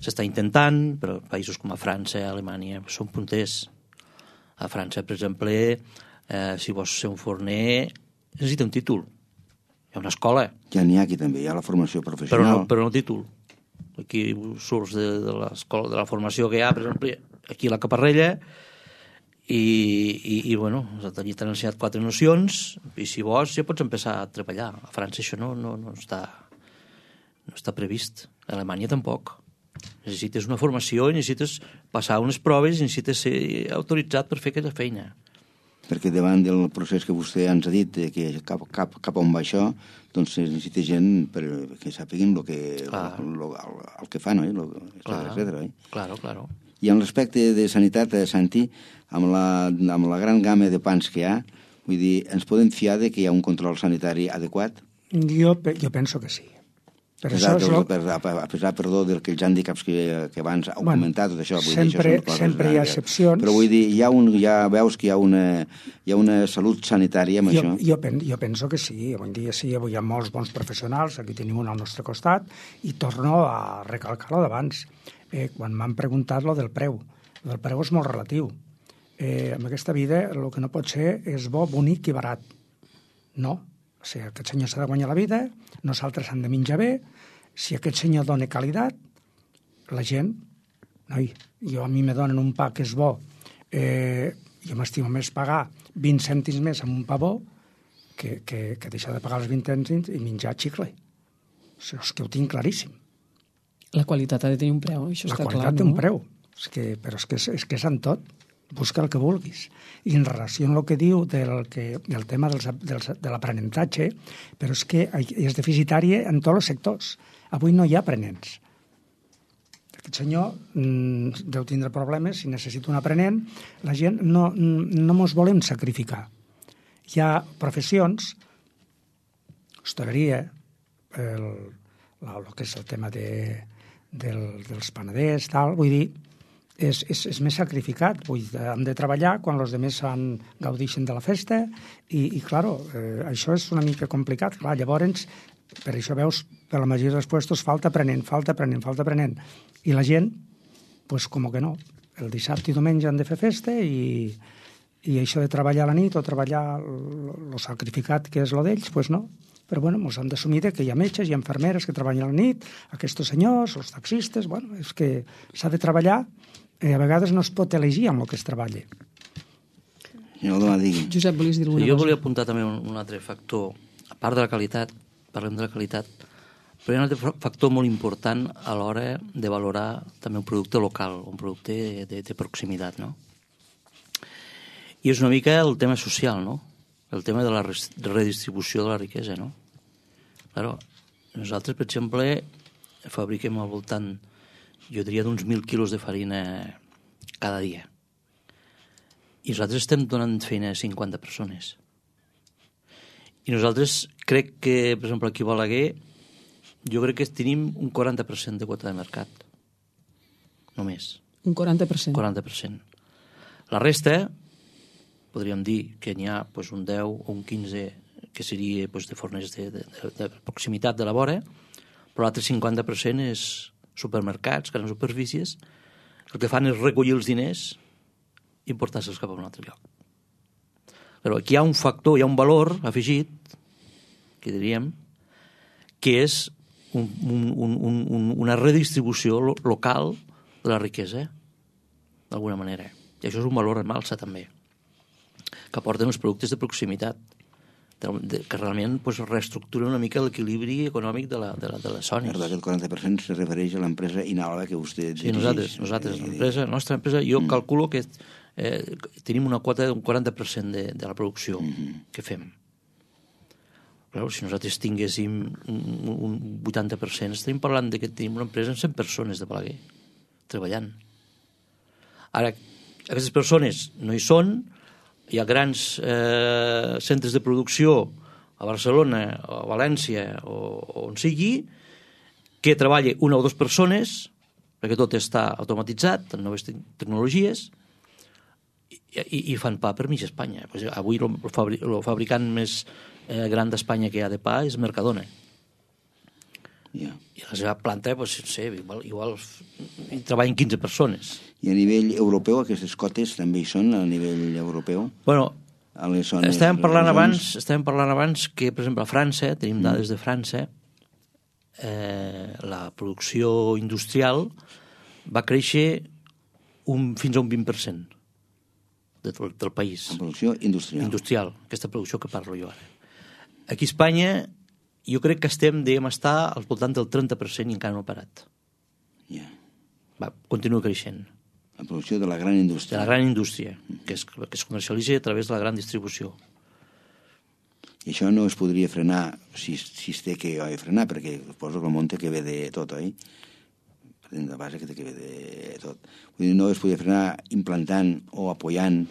S'està intentant, però països com a França, Alemanya, són punters. A França, per exemple, eh, si vols ser un forner, necessita un títol. Hi ha una escola,
Ja n'hi ha aquí també, hi ha la formació
però
professional.
no, però no títol. Aquí surts de, de l'escola, de la formació que hi ha, per exemple, aquí a la Caparrella, i, i, i bueno, allí t'han ensenyat quatre nocions, i si vols ja pots empezar a treballar. A França això no, no, no, està, no està previst. A Alemanya tampoc. Necessites una formació, necessites passar unes proves, necessites ser autoritzat per fer aquella feina.
Perquè davant del procés que vostè ens ha dit, eh, que cap, cap, cap on va això, doncs es necessita gent per, que sàpiguin el que,
Clar.
lo, lo, el, el que fan, oi? Lo, etcètera, etcètera, oi?
Claro, claro.
I en l'aspecte de sanitat, eh, Santi, amb la, amb la gran gamma de pans que hi ha, vull dir, ens podem fiar de que hi ha un control sanitari adequat?
Jo, pe- jo penso que sí.
A
Per
pesar,
això és
dels,
lo...
per, a pesar perdó, dels hàndicaps que, que abans heu
Bueno,
comentat, tot això. Vull
sempre-
dir, això són coses
sempre hi ha
llargues.
excepcions.
Però vull dir, hi ha un, ja veus que hi ha una, hi ha una salut sanitària amb
Jo,
això?
jo, pen, jo penso que sí, avui en dia sí, avui hi ha molts bons professionals, aquí tenim un al nostre costat, i torno a recalcar-lo d'abans. Eh, quan m'han preguntat lo del preu, lo del preu és molt relatiu. Eh, en aquesta vida el que no pot ser és bo, bonic i barat. No. O sigui, aquest senyor s'ha de guanyar la vida, nosaltres hem de menjar bé, si aquest senyor dona qualitat, la gent, noi, jo a mi me donen un pa que és bo, eh, jo m'estimo més pagar vint cèntims més amb un pa bo que, que, que deixar de pagar els vint cèntims i menjar xicle. O sigui, és que ho tinc claríssim.
La qualitat ha de tenir un preu, això
La
està clar,
qualitat té
no?
un preu, és que, però és que és, és que és en tot. Busca el que vulguis. I en relació amb el que diu del, que, del tema dels, dels, de l'aprenentatge, però és que és deficitari en tots els sectors. Avui no hi ha aprenents. Aquest senyor mm, deu tindre problemes, si necessita un aprenent, la gent no, no mos volem sacrificar. Hi ha professions, hostaleria, el, el, el que és el tema de, del, dels panaders, tal, vull dir, és, és, és més sacrificat. Vull dir, hem de treballar quan els altres gaudeixen de la festa i, i claro, eh, això és una mica complicat. Clar, llavors, per això veus, per la majoria dels puestos falta aprenent, falta aprenent, falta aprenent. I la gent, pues com que no, el dissabte i diumenge han de fer festa i, i això de treballar a la nit o treballar el sacrificat que és lo d'ells, pues no. Però bueno, ens hem d'assumir que hi ha metges, hi ha infermeres que treballen a la nit, aquests senyors, els taxistes, bueno, és que s'ha de treballar i a vegades no es pot elegir amb el que es treballa.
Jo,
Josep, volies dir alguna
cosa? Jo
cosa?
volia apuntar també un, un altre factor. A part de la qualitat, parlem de la qualitat, però hi ha un altre factor molt important a l'hora de valorar també un producte local, un producte de, de, de proximitat, no? I és una mica el tema social, no? El tema de la redistribució de la riquesa, no? Claro, nosaltres, per exemple, fabriquem al voltant, jo diria, d'uns mil quilos de farina cada dia. I nosaltres estem donant feina a cinquanta persones. I nosaltres crec que, per exemple, aquí a Balaguer, jo crec que tenim un quaranta per cent de quota de mercat. Només.
Un quaranta per cent.
quaranta per cent. La resta, podríem dir que n'hi ha pues, un deu o un quinze que seria pues, de fornes de, de, de proximitat de la vora, però l'altre cinquanta per cent és supermercats, grans superfícies, el que fan és recollir els diners i portar-se'ls cap a un altre lloc. Però aquí hi ha un factor, hi ha un valor afegit, que diríem, que és un, un, un, un, una redistribució lo, local de la riquesa, d'alguna manera. I això és un valor en alça, també, que aporten els productes de proximitat, de, de, que realment pues, reestructuren una mica l'equilibri econòmic de, la, de, la, de les zones.
Perdó, aquest quaranta per cent se refereix a l'empresa Inalva que vostè dirigeix.
Sí, nosaltres, nosaltres l'empresa, la nostra empresa, jo mm. calculo que eh, tenim una quota d'un quaranta per cent de, de la producció mm-hmm. que fem. Però si nosaltres tinguéssim un, un vuitanta per cent, estaríem parlant de que tenim una empresa amb cent persones de Balaguer treballant. Ara, aquestes persones no hi són, hi ha grans eh, centres de producció a Barcelona o a València o, o on sigui que treballa una o dues persones perquè tot està automatitzat amb noves te tecnologies i, i, i fan pa per mig Espanya. Pues avui el fabri fabricant més eh, gran d'Espanya que hi ha de pa és Mercadona.
Yeah.
I a la seva planta, pues, no sé, igual, igual hi treballen quinze persones.
I a nivell europeu, aquestes cotes també hi són, a nivell europeu?
Bueno,
a les zones,
estàvem parlant abans, estàvem parlant abans que, per exemple, a França, tenim mm. dades de França, eh, la producció industrial va créixer un, fins a un vint per cent de, del, del país.
La producció industrial.
Industrial, aquesta producció que parlo jo ara. Aquí a Espanya jo crec que estem, diguem, estar al voltant del trenta per cent i encara no ha parat.
Yeah.
Va, continua creixent.
La producció de la gran indústria.
De la gran indústria, que es, que es comercialitza a través de la gran distribució.
I això no es podria frenar, si, si es té que frenar, perquè poso que el món té que ve de tot, oi? Partim de base que té que ve de tot. Vull dir, no es podria frenar implantant o apoyant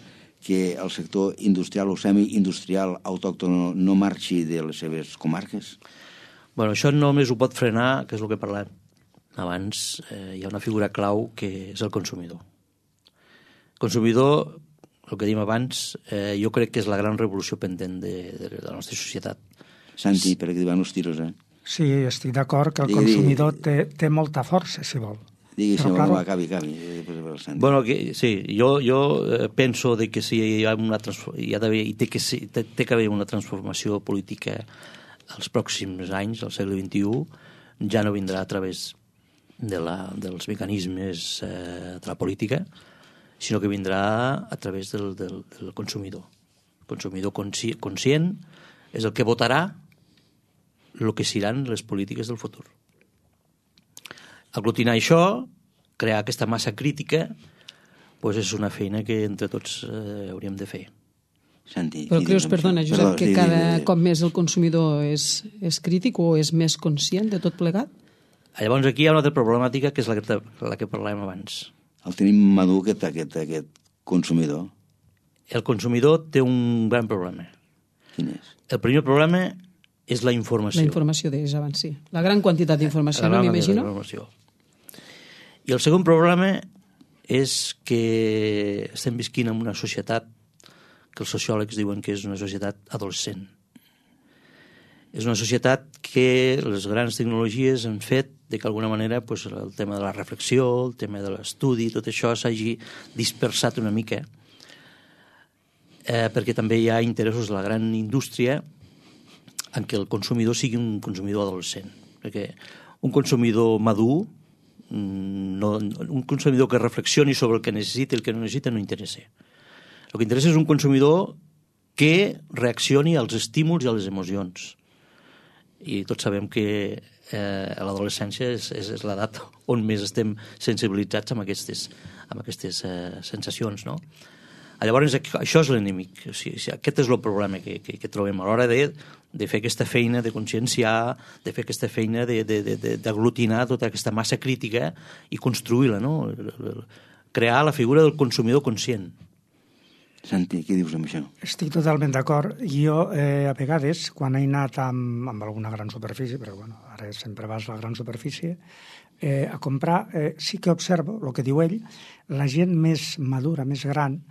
que el sector industrial o semi-industrial autòcton no marxi de les seves comarques?
Bueno, això només ho pot frenar, que és el que parlem abans, eh, hi ha una figura clau que és el consumidor. El consumidor, el que dèiem abans, eh, jo crec que és la gran revolució pendent de, de, de la nostra societat.
Santi, per aquí van els tiros, eh?
Sí, estic d'acord que el
digui,
consumidor té, té molta força, si vol.
Digui, si
claro,
no, acabi, acabi.
Bueno, que, sí, jo, jo penso de que si hi ha una hi ha d'haver, i té que, ser, té, té que haver una transformació política als pròxims anys, al segle vint-i-u, ja no vindrà a través de la, dels mecanismes eh, de la política, sinó que vindrà a través del, del, del consumidor. El consumidor consci, conscient és el que votarà el que seran les polítiques del futur. Aglutinar això, crear aquesta massa crítica, doncs és una feina que entre tots eh, hauríem de fer.
Santi,
Però creus, perdona, Josep,
Perdó,
que
sí,
cada
sí, sí.
cop més el consumidor és, és crític o és més conscient de tot plegat?
Llavors aquí hi ha una altra problemàtica que és la que, la que parlàvem abans.
El tenim madur, aquest, aquest, aquest consumidor.
El consumidor té un gran problema.
Quin és?
El primer problema és la informació.
La informació, deies abans, sí. La gran quantitat d'informació, no m'imagino?
I el segon problema és que estem visquint en una societat que els sociòlegs diuen que és una societat adolescent. És una societat que les grans tecnologies han fet de que d'alguna manera pues, el tema de la reflexió, el tema de l'estudi, tot això s'hagi dispersat una mica, eh, perquè també hi ha interessos de la gran indústria en què el consumidor sigui un consumidor adolescent. Perquè un consumidor madur, no, un consumidor que reflexioni sobre el que necessita i el que no necessita no interessa. El que interessa és un consumidor que reaccioni als estímuls i a les emocions. I tots sabem que eh, l'adolescència és, és, és l'edat on més estem sensibilitzats amb aquestes, amb aquestes eh, sensacions, no? Llavors, això és l'enemic. O sigui, aquest és el problema que, que, que trobem a l'hora de, de fer aquesta feina de conscienciar, de fer aquesta feina d'aglutinar tota aquesta massa crítica i construir-la, no? Crear la figura del consumidor conscient.
Santi, què dius amb això?
Estic totalment d'acord. Jo, eh, a vegades, quan he anat amb, amb alguna gran superfície, però bueno, ara sempre vas a la gran superfície, eh, a comprar, eh, sí que observo, el que diu ell, la gent més madura, més gran,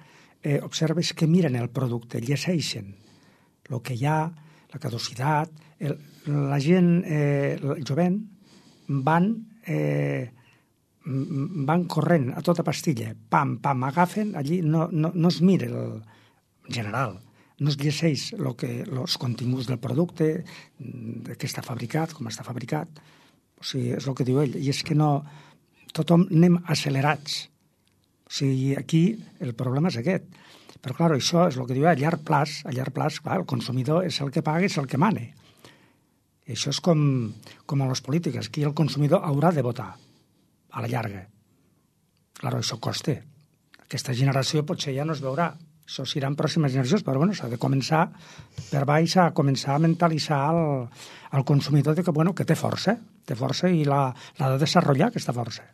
eh, observes que miren el producte, llegeixen el que hi ha, la caducitat, el, la gent, eh, el jovent, van... Eh, van corrent a tota pastilla, pam, pam, agafen, allí no, no, no es mira el general, no es llegeix lo que, els continguts del producte, de què està fabricat, com està fabricat, o sigui, és el que diu ell, i és que no, tothom anem accelerats, o sigui, aquí el problema és aquest, però clar, això és el que diu ell, a llarg plaç, a llarg plaç, clar, el consumidor és el que paga, és el que mane, i això és com, com a les polítiques, aquí el consumidor haurà de votar, a la llarga. Claro, això costa. Aquesta generació potser ja no es veurà. Això serà en pròximes generacions, però bueno, s'ha de començar per baix a començar a mentalitzar el, el consumidor de que, bueno, que té força, té força i l'ha de desenvolupar, aquesta força.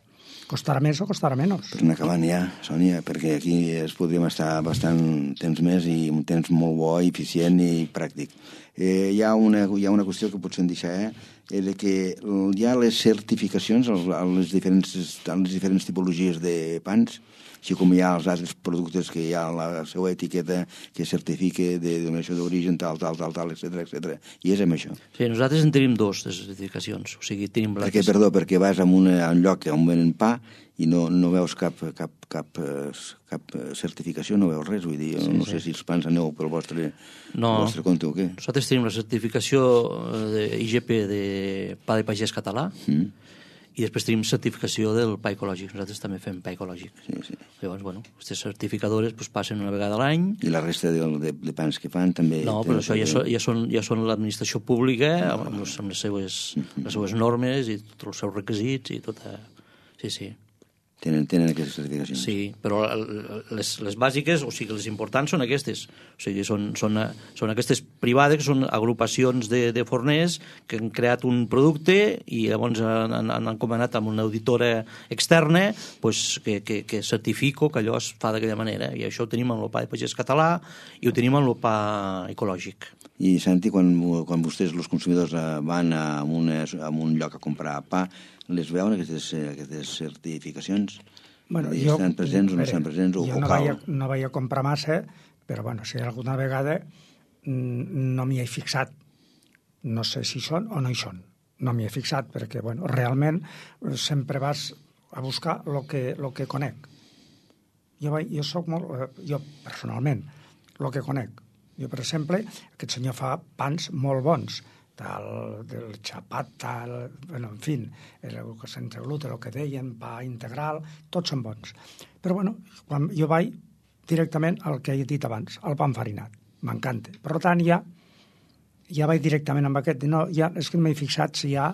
Costarà més o costarà menys.
Per anar acabant ja, Sònia, perquè aquí es podríem estar bastant temps més i un temps molt bo, eficient i pràctic. Eh, hi, ha una, hi ha una qüestió que potser em deixar, eh? És que hi ha les certificacions a les diferents, a les diferents tipologies de pans, així com hi ha els altres productes que hi ha la seva etiqueta que certifica de denominació d'origen, tal, tal, tal, tal, etcètera, etcètera. I és amb això.
Sí, nosaltres en tenim dos, de certificacions. O sigui, tenim la...
Perquè, perdó, perquè vas a un, a un lloc on venen pa i no, no veus cap, cap, cap, cap certificació, no veus res. Vull dir, sí, no sí. sé si els pans aneu pel vostre,
no,
pel vostre compte o què.
Nosaltres tenim la certificació de I G P de pa de pagès català, mm. i després tenim certificació del pa ecològic. Nosaltres també fem pa ecològic.
Sí, sí.
Llavors, bueno, aquestes certificadores pues, passen una vegada a l'any.
I la resta de, de, de pans que fan també...
No, però això ja, so, ja són, ja són l'administració pública, amb, amb, les, amb les, seues, mm-hmm. les seues normes i tots els seus requisits i tota... Sí, sí.
Tenen, tenen aquestes certificacions.
Sí, però les, les bàsiques, o sigui, les importants són aquestes. O sigui, són, són, són aquestes privades, que són agrupacions de, de forners que han creat un producte i llavors han, han encomanat amb una auditora externa pues, que, que, que certifico que allò es fa d'aquella manera. I això ho tenim en el pa de pagès català i ho tenim en el pa ecològic.
I, Santi, quan, quan vostès, els consumidors, van a, una, a un lloc a comprar pa, les veuen, aquestes, aquestes certificacions?
Bueno,
I
jo,
estan presents o no estan presents? O,
jo
o
no,
cal?
vaig a, no vaig a comprar massa, però bueno, si alguna vegada no m'hi he fixat. No sé si són o no hi són. No m'hi he fixat, perquè bueno, realment sempre vas a buscar el que, lo que conec. Jo, vaig, jo soc molt... Jo, personalment, el que conec. Jo, per exemple, aquest senyor fa pans molt bons, del, del xapat, tal, bueno, en fi, el, sense gluten, el que deien, pa integral, tots són bons. Però, bueno, quan jo vaig directament al que he dit abans, al pa enfarinat. M'encanta. Per tant, ja, ja vaig directament amb aquest. No, ja, és que m'he fixat si hi ha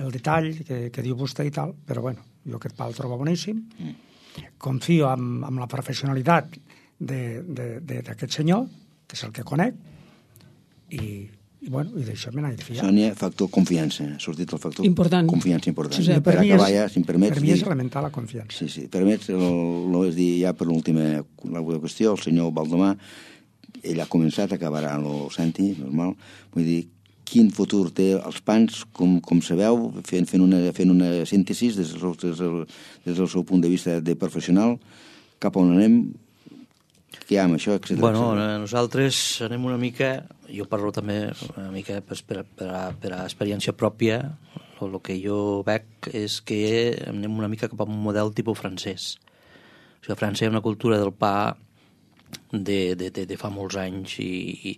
el detall que, que diu vostè i tal, però, bueno, jo aquest pa el trobo boníssim. Confio en, en la professionalitat d'aquest senyor, que és el que conec, i... I, bueno, i d'això me n'he de fiar.
Sònia, factor confiança. Ha sortit el factor
important.
Confiança important.
Sí, sí.
Per, per acabar ja, si em permets...
Per mi és elemental la confiança.
Sí, sí. Permets, el, el, és dir, ja per l'última qüestió, el senyor Baldomà, ell ha començat, acabarà el Santi, normal. Vull dir, quin futur té els pans, com, com sabeu, fent, fent, una, fent una síntesi des del, des, del, des del seu punt de vista de professional, cap on anem, què hi ha amb això, etcètera.
Bueno, etcètera. Nosaltres anem una mica, jo parlo també una mica per, per, per, a, per a experiència pròpia, el que jo veig és que anem una mica cap a un model tipus francès. O sigui, a França hi ha una cultura del pa de, de, de, de fa molts anys i, i,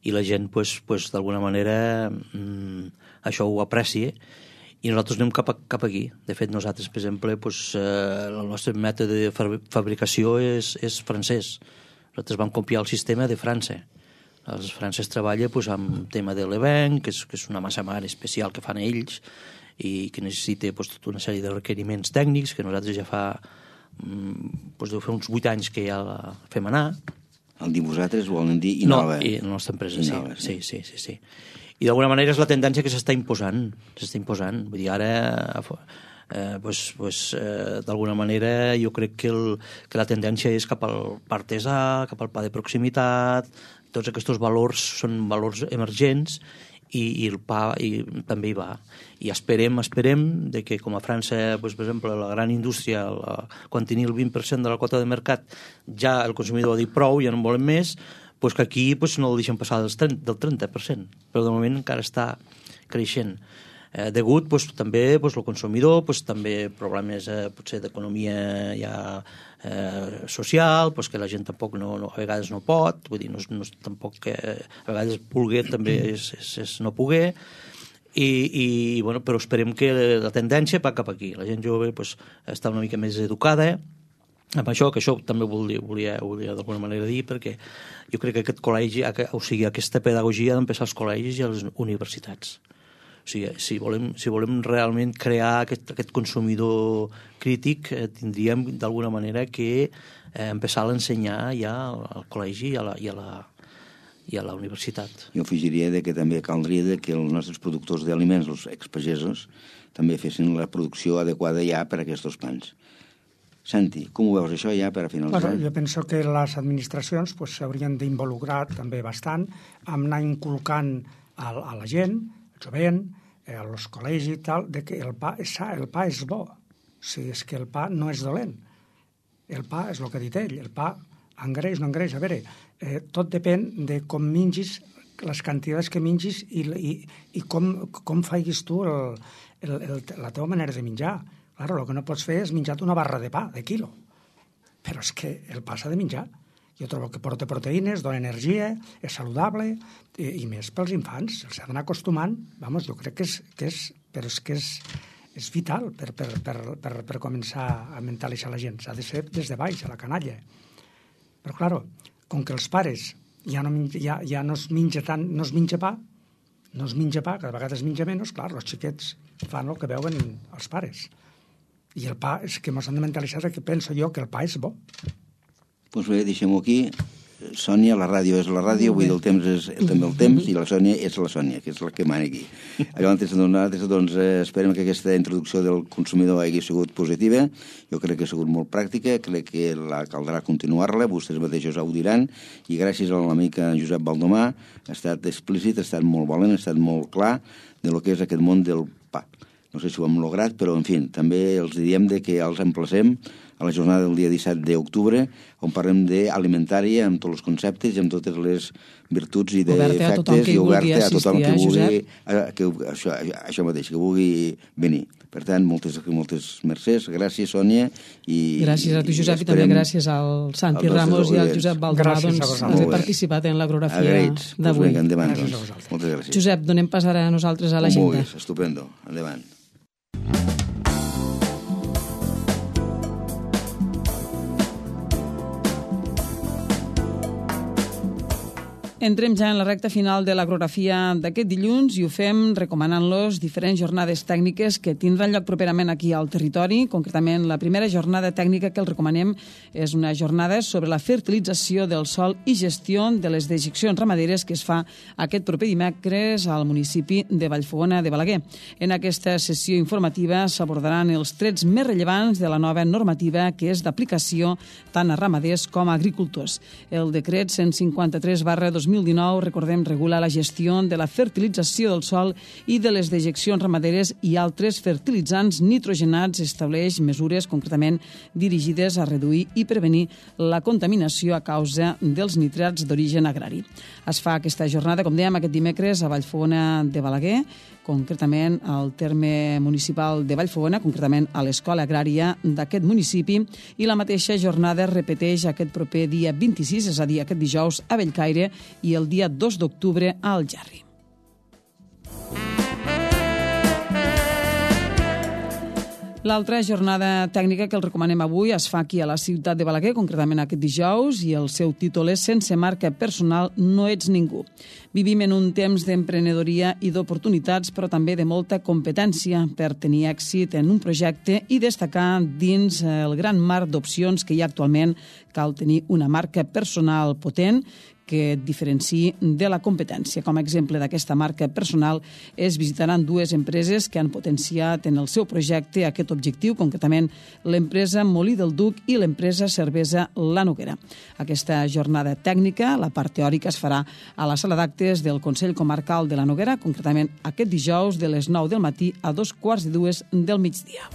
i la gent, pues, pues, d'alguna manera, mmm, això ho aprecia i nosaltres anem cap, a, cap aquí. De fet, nosaltres, per exemple, pues, eh, el nostre mètode de fabricació és, és francès. Nosaltres vam copiar el sistema de França. Els francesos treballen pues, amb tema de l'Even, que, és, que és una massa mare especial que fan ells i que necessita pues, tota una sèrie de requeriments tècnics que nosaltres ja fa, pues, deu fer uns vuit anys que ja la fem anar.
El dir vosaltres volen dir Innova.
No, i la nostra empresa, Innova, sí. Sí, sí, sí, sí. I d'alguna manera és la tendència que s'està imposant. S'està imposant. Vull dir, ara... Eh, pues, pues, eh, d'alguna manera jo crec que, el, que la tendència és cap al pa artesà, cap al pa de proximitat, tots aquests valors són valors emergents i, i el pa i, també hi va. I esperem, esperem de que com a França, pues, per exemple, la gran indústria, la, quan tenia el vint per cent de la quota de mercat, ja el consumidor ha dit prou, ja no en volem més, pues que aquí pues, no el deixen passar del trenta, del trenta per cent, però de moment encara està creixent. Eh, degut pues, també pues, el consumidor, pues, també problemes eh, potser d'economia ja eh, social, pues, que la gent tampoc no, no, a vegades no pot, vull dir, no, no, tampoc que a vegades voler també és, és, és no poder, i, i bueno, però esperem que la tendència va cap aquí. La gent jove pues, està una mica més educada amb això, que això també volia, volia, volia d'alguna manera dir, perquè jo crec que aquest col·legi, o sigui, aquesta pedagogia ha d'empezar als col·legis i a les universitats. O sigui, si volem, si volem realment crear aquest, aquest consumidor crític, eh, tindríem d'alguna manera que eh, empezar a l'ensenyar ja al, al col·legi i a la, i a la, i a la universitat.
Jo afegiria de que també caldria de que els nostres productors d'aliments, els expagesos, també fessin la producció adequada ja per a aquests pans. Santi, com ho veus això ja per a finalitzar?
Bueno, jo penso que les administracions s'haurien pues, d'involucrar també bastant amb anar inculcant a, a la gent, jovent, eh, als col·legis i tal, de que el pa és sa, el pa és bo. O sigui, és que el pa no és dolent. El pa és el que ha dit ell, el pa engreix, no engreix. A veure, eh, tot depèn de com mingis, les quantitats que mingis i, i, i com, com faiguis tu el, el, el, la teva manera de menjar. Claro, el que no pots fer és menjar una barra de pa, de quilo. Però és que el pa s'ha de menjar. Jo trobo que porta proteïnes, dona energia, és saludable, i, i més pels infants. S'ha d'anar acostumant, vamos, jo crec que és, que és, però és que és, és vital per, per, per, per, per començar a mentalitzar la gent. S'ha de ser des de baix, a la canalla. Però, claro, com que els pares ja no, ja, ja no es menja tant, no es menja pa, no es menja pa, cada vegada es menja menys, clar, els xiquets fan el que veuen els pares. I el pa, és que mos han de mentalitzar que penso jo que el pa és bo.
Doncs bé, deixem-ho aquí. Sònia, la ràdio és la ràdio, vull dir, el temps és també el temps, i la Sònia és la Sònia, que és la que mana aquí. Llavors, nosaltres, doncs, esperem que aquesta introducció del consumidor hagi sigut positiva. Jo crec que ha sigut molt pràctica, crec que la caldrà continuar-la, vostès mateixos ho diran, i gràcies a l'amic Josep Baldomà ha estat explícit, ha estat molt valent, ha estat molt clar de lo que és aquest món del pa. No sé si ho hem lograt, però, en fi, també els diem de que els emplacem a la jornada del dia disset d'octubre, on parlem d'alimentària, amb tots els conceptes i amb totes les virtuts i defectes, i oberta a tothom que vulgui, que, això, això mateix, que vulgui venir. Per tant, moltes, moltes mercès, gràcies, Sònia. I,
gràcies a tu, Josep, i, i també gràcies al Santi Ramos i al Josep Baldomà, doncs, haver participat en l'agorafia d'avui.
Vinga, endavant, doncs. Moltes gràcies.
Josep, donem pas ara a nosaltres a l'agenda.
Estupendo, endavant.
Entrem ja en la recta final de l'agrografia d'aquest dilluns i ho fem recomanant-los diferents jornades tècniques que tindran lloc properament aquí al territori. Concretament, la primera jornada tècnica que els recomanem és una jornada sobre la fertilització del sòl i gestió de les dejeccions ramaderes que es fa aquest proper dimecres al municipi de Vallfogona de Balaguer. En aquesta sessió informativa s'abordaran els trets més rellevants de la nova normativa que és d'aplicació tant a ramaders com a agricultors. El decret cent cinquanta-tres barra dos mil mil dinou, recordem, regula la gestió de la fertilització del sòl i de les dejeccions ramaderes i altres fertilitzants nitrogenats. Estableix mesures concretament dirigides a reduir i prevenir la contaminació a causa dels nitrats d'origen agrari. Es fa aquesta jornada, com dèiem, aquest dimecres a Vallfogona de Balaguer, concretament al terme municipal de Vallfogona, concretament a l'Escola Agrària d'aquest municipi, i la mateixa jornada es repeteix aquest proper dia vint-i-sis, és a dir, aquest dijous a Bellcaire, i el dia dos d'octubre a Algerri. L'altra jornada tècnica que el recomanem avui es fa aquí a la ciutat de Balaguer, concretament aquest dijous, i el seu títol és Sense marca personal no ets ningú. Vivim en un temps d'emprenedoria i d'oportunitats, però també de molta competència per tenir èxit en un projecte i destacar dins el gran mar d'opcions que hi ha actualment. Cal tenir una marca personal potent que et diferenciï de la competència. Com a exemple d'aquesta marca personal es visitaran dues empreses que han potenciat en el seu projecte aquest objectiu, concretament l'empresa Molí del Duc i l'empresa Cervesa La Noguera. Aquesta jornada tècnica, la part teòrica, es farà a la sala d'actes del Consell Comarcal de La Noguera, concretament aquest dijous de les nou del matí a dos quarts de dues del migdia.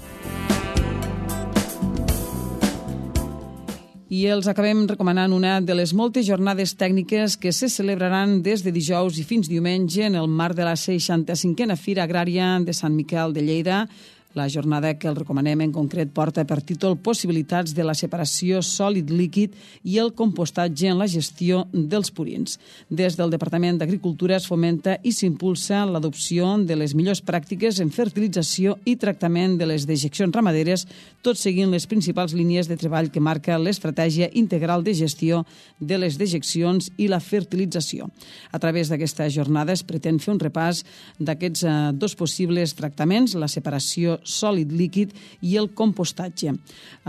I els acabem recomanant una de les moltes jornades tècniques que se celebraran des de dijous i fins diumenge en el marc de la seixanta-cinquena Fira Agrària de Sant Miquel de Lleida. La jornada que el recomanem en concret porta per títol Possibilitats de la separació sòlid-líquid i el compostatge en la gestió dels purins. Des del Departament d'Agricultura es fomenta i s'impulsa l'adopció de les millors pràctiques en fertilització i tractament de les dejeccions ramaderes, tot seguint les principals línies de treball que marca l'estratègia integral de gestió de les dejeccions i la fertilització. A través d'aquesta jornada es pretén fer un repàs d'aquests eh, dos possibles tractaments, la separació sòlid-líquid i el compostatge.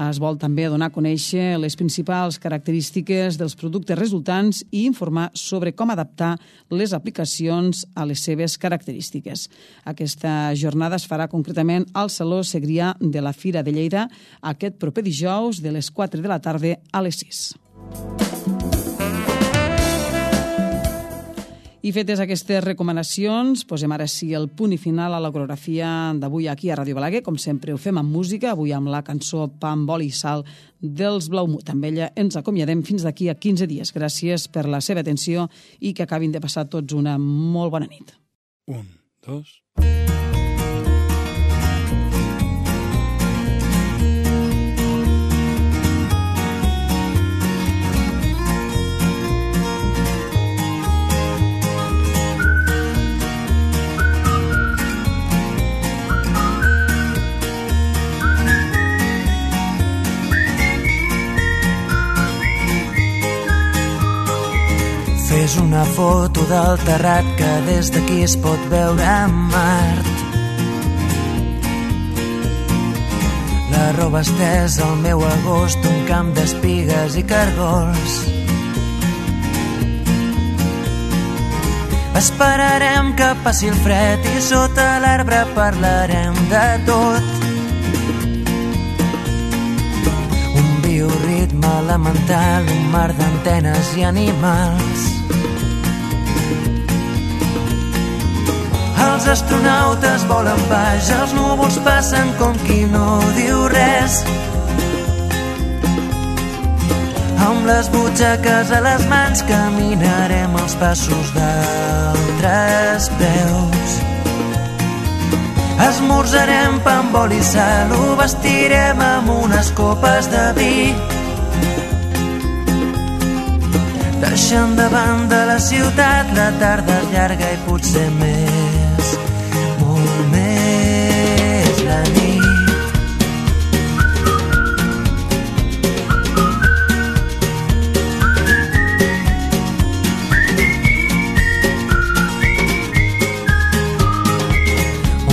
Es vol també donar a conèixer les principals característiques dels productes resultants i informar sobre com adaptar les aplicacions a les seves característiques. Aquesta jornada es farà concretament al Saló Segrià de la Fira de Lleida aquest proper dijous de les quatre de la tarda a les sis. I fetes aquestes recomanacions, posem ara sí el punt i final a la coreografia d'avui aquí a Ràdio Balaguer. Com sempre ho fem amb música, avui amb la cançó Pa amb oli i sal dels Blaumut. Amb ella ens acomiadem fins d'aquí a quinze dies. Gràcies per la seva atenció i que acabin de passar tots una molt bona nit.
Un, dos...
Fes una foto del terrat que des d'aquí es pot veure en Mart. La roba estesa al meu agost, un camp d'espigues i cargols. Esperarem que passi el fred i sota l'arbre parlarem de tot. Un bioritme elemental, un mar d'antenes i animals. Els astronautes volen baix, els núvols passen com qui no diu res. Amb les butxaques a les mans caminarem els passos d'altres peus. Esmorzarem pa amb oli i sal, ho vestirem amb unes copes de vi. Deixant de banda la ciutat, la tarda és llarga i potser més, molt més la nit.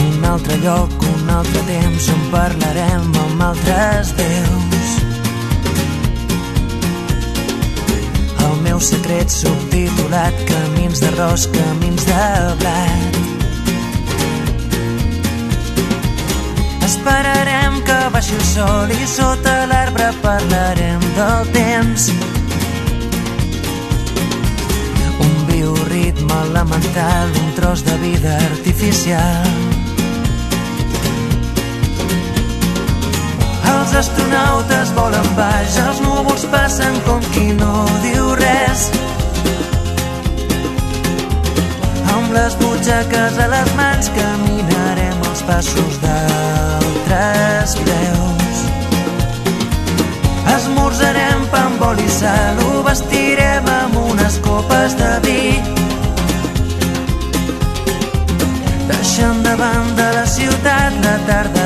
Un altre lloc, un altre temps on parlarem amb altres veus. El meu secret subtitulat, camins d'arròs, camins de blat. Esperarem que baixi el sol i sota l'arbre parlarem del temps. Un elemental, un tros de vida artificial. Els astronautes volen baix, els núvols passen com qui no diu res. Amb les butxaques a les mans caminarem els passos d'altres peus. Esmorzarem pa amb oli i sal, ho vestirem amb unes copes de vi. Deixant de banda la ciutat, la tarda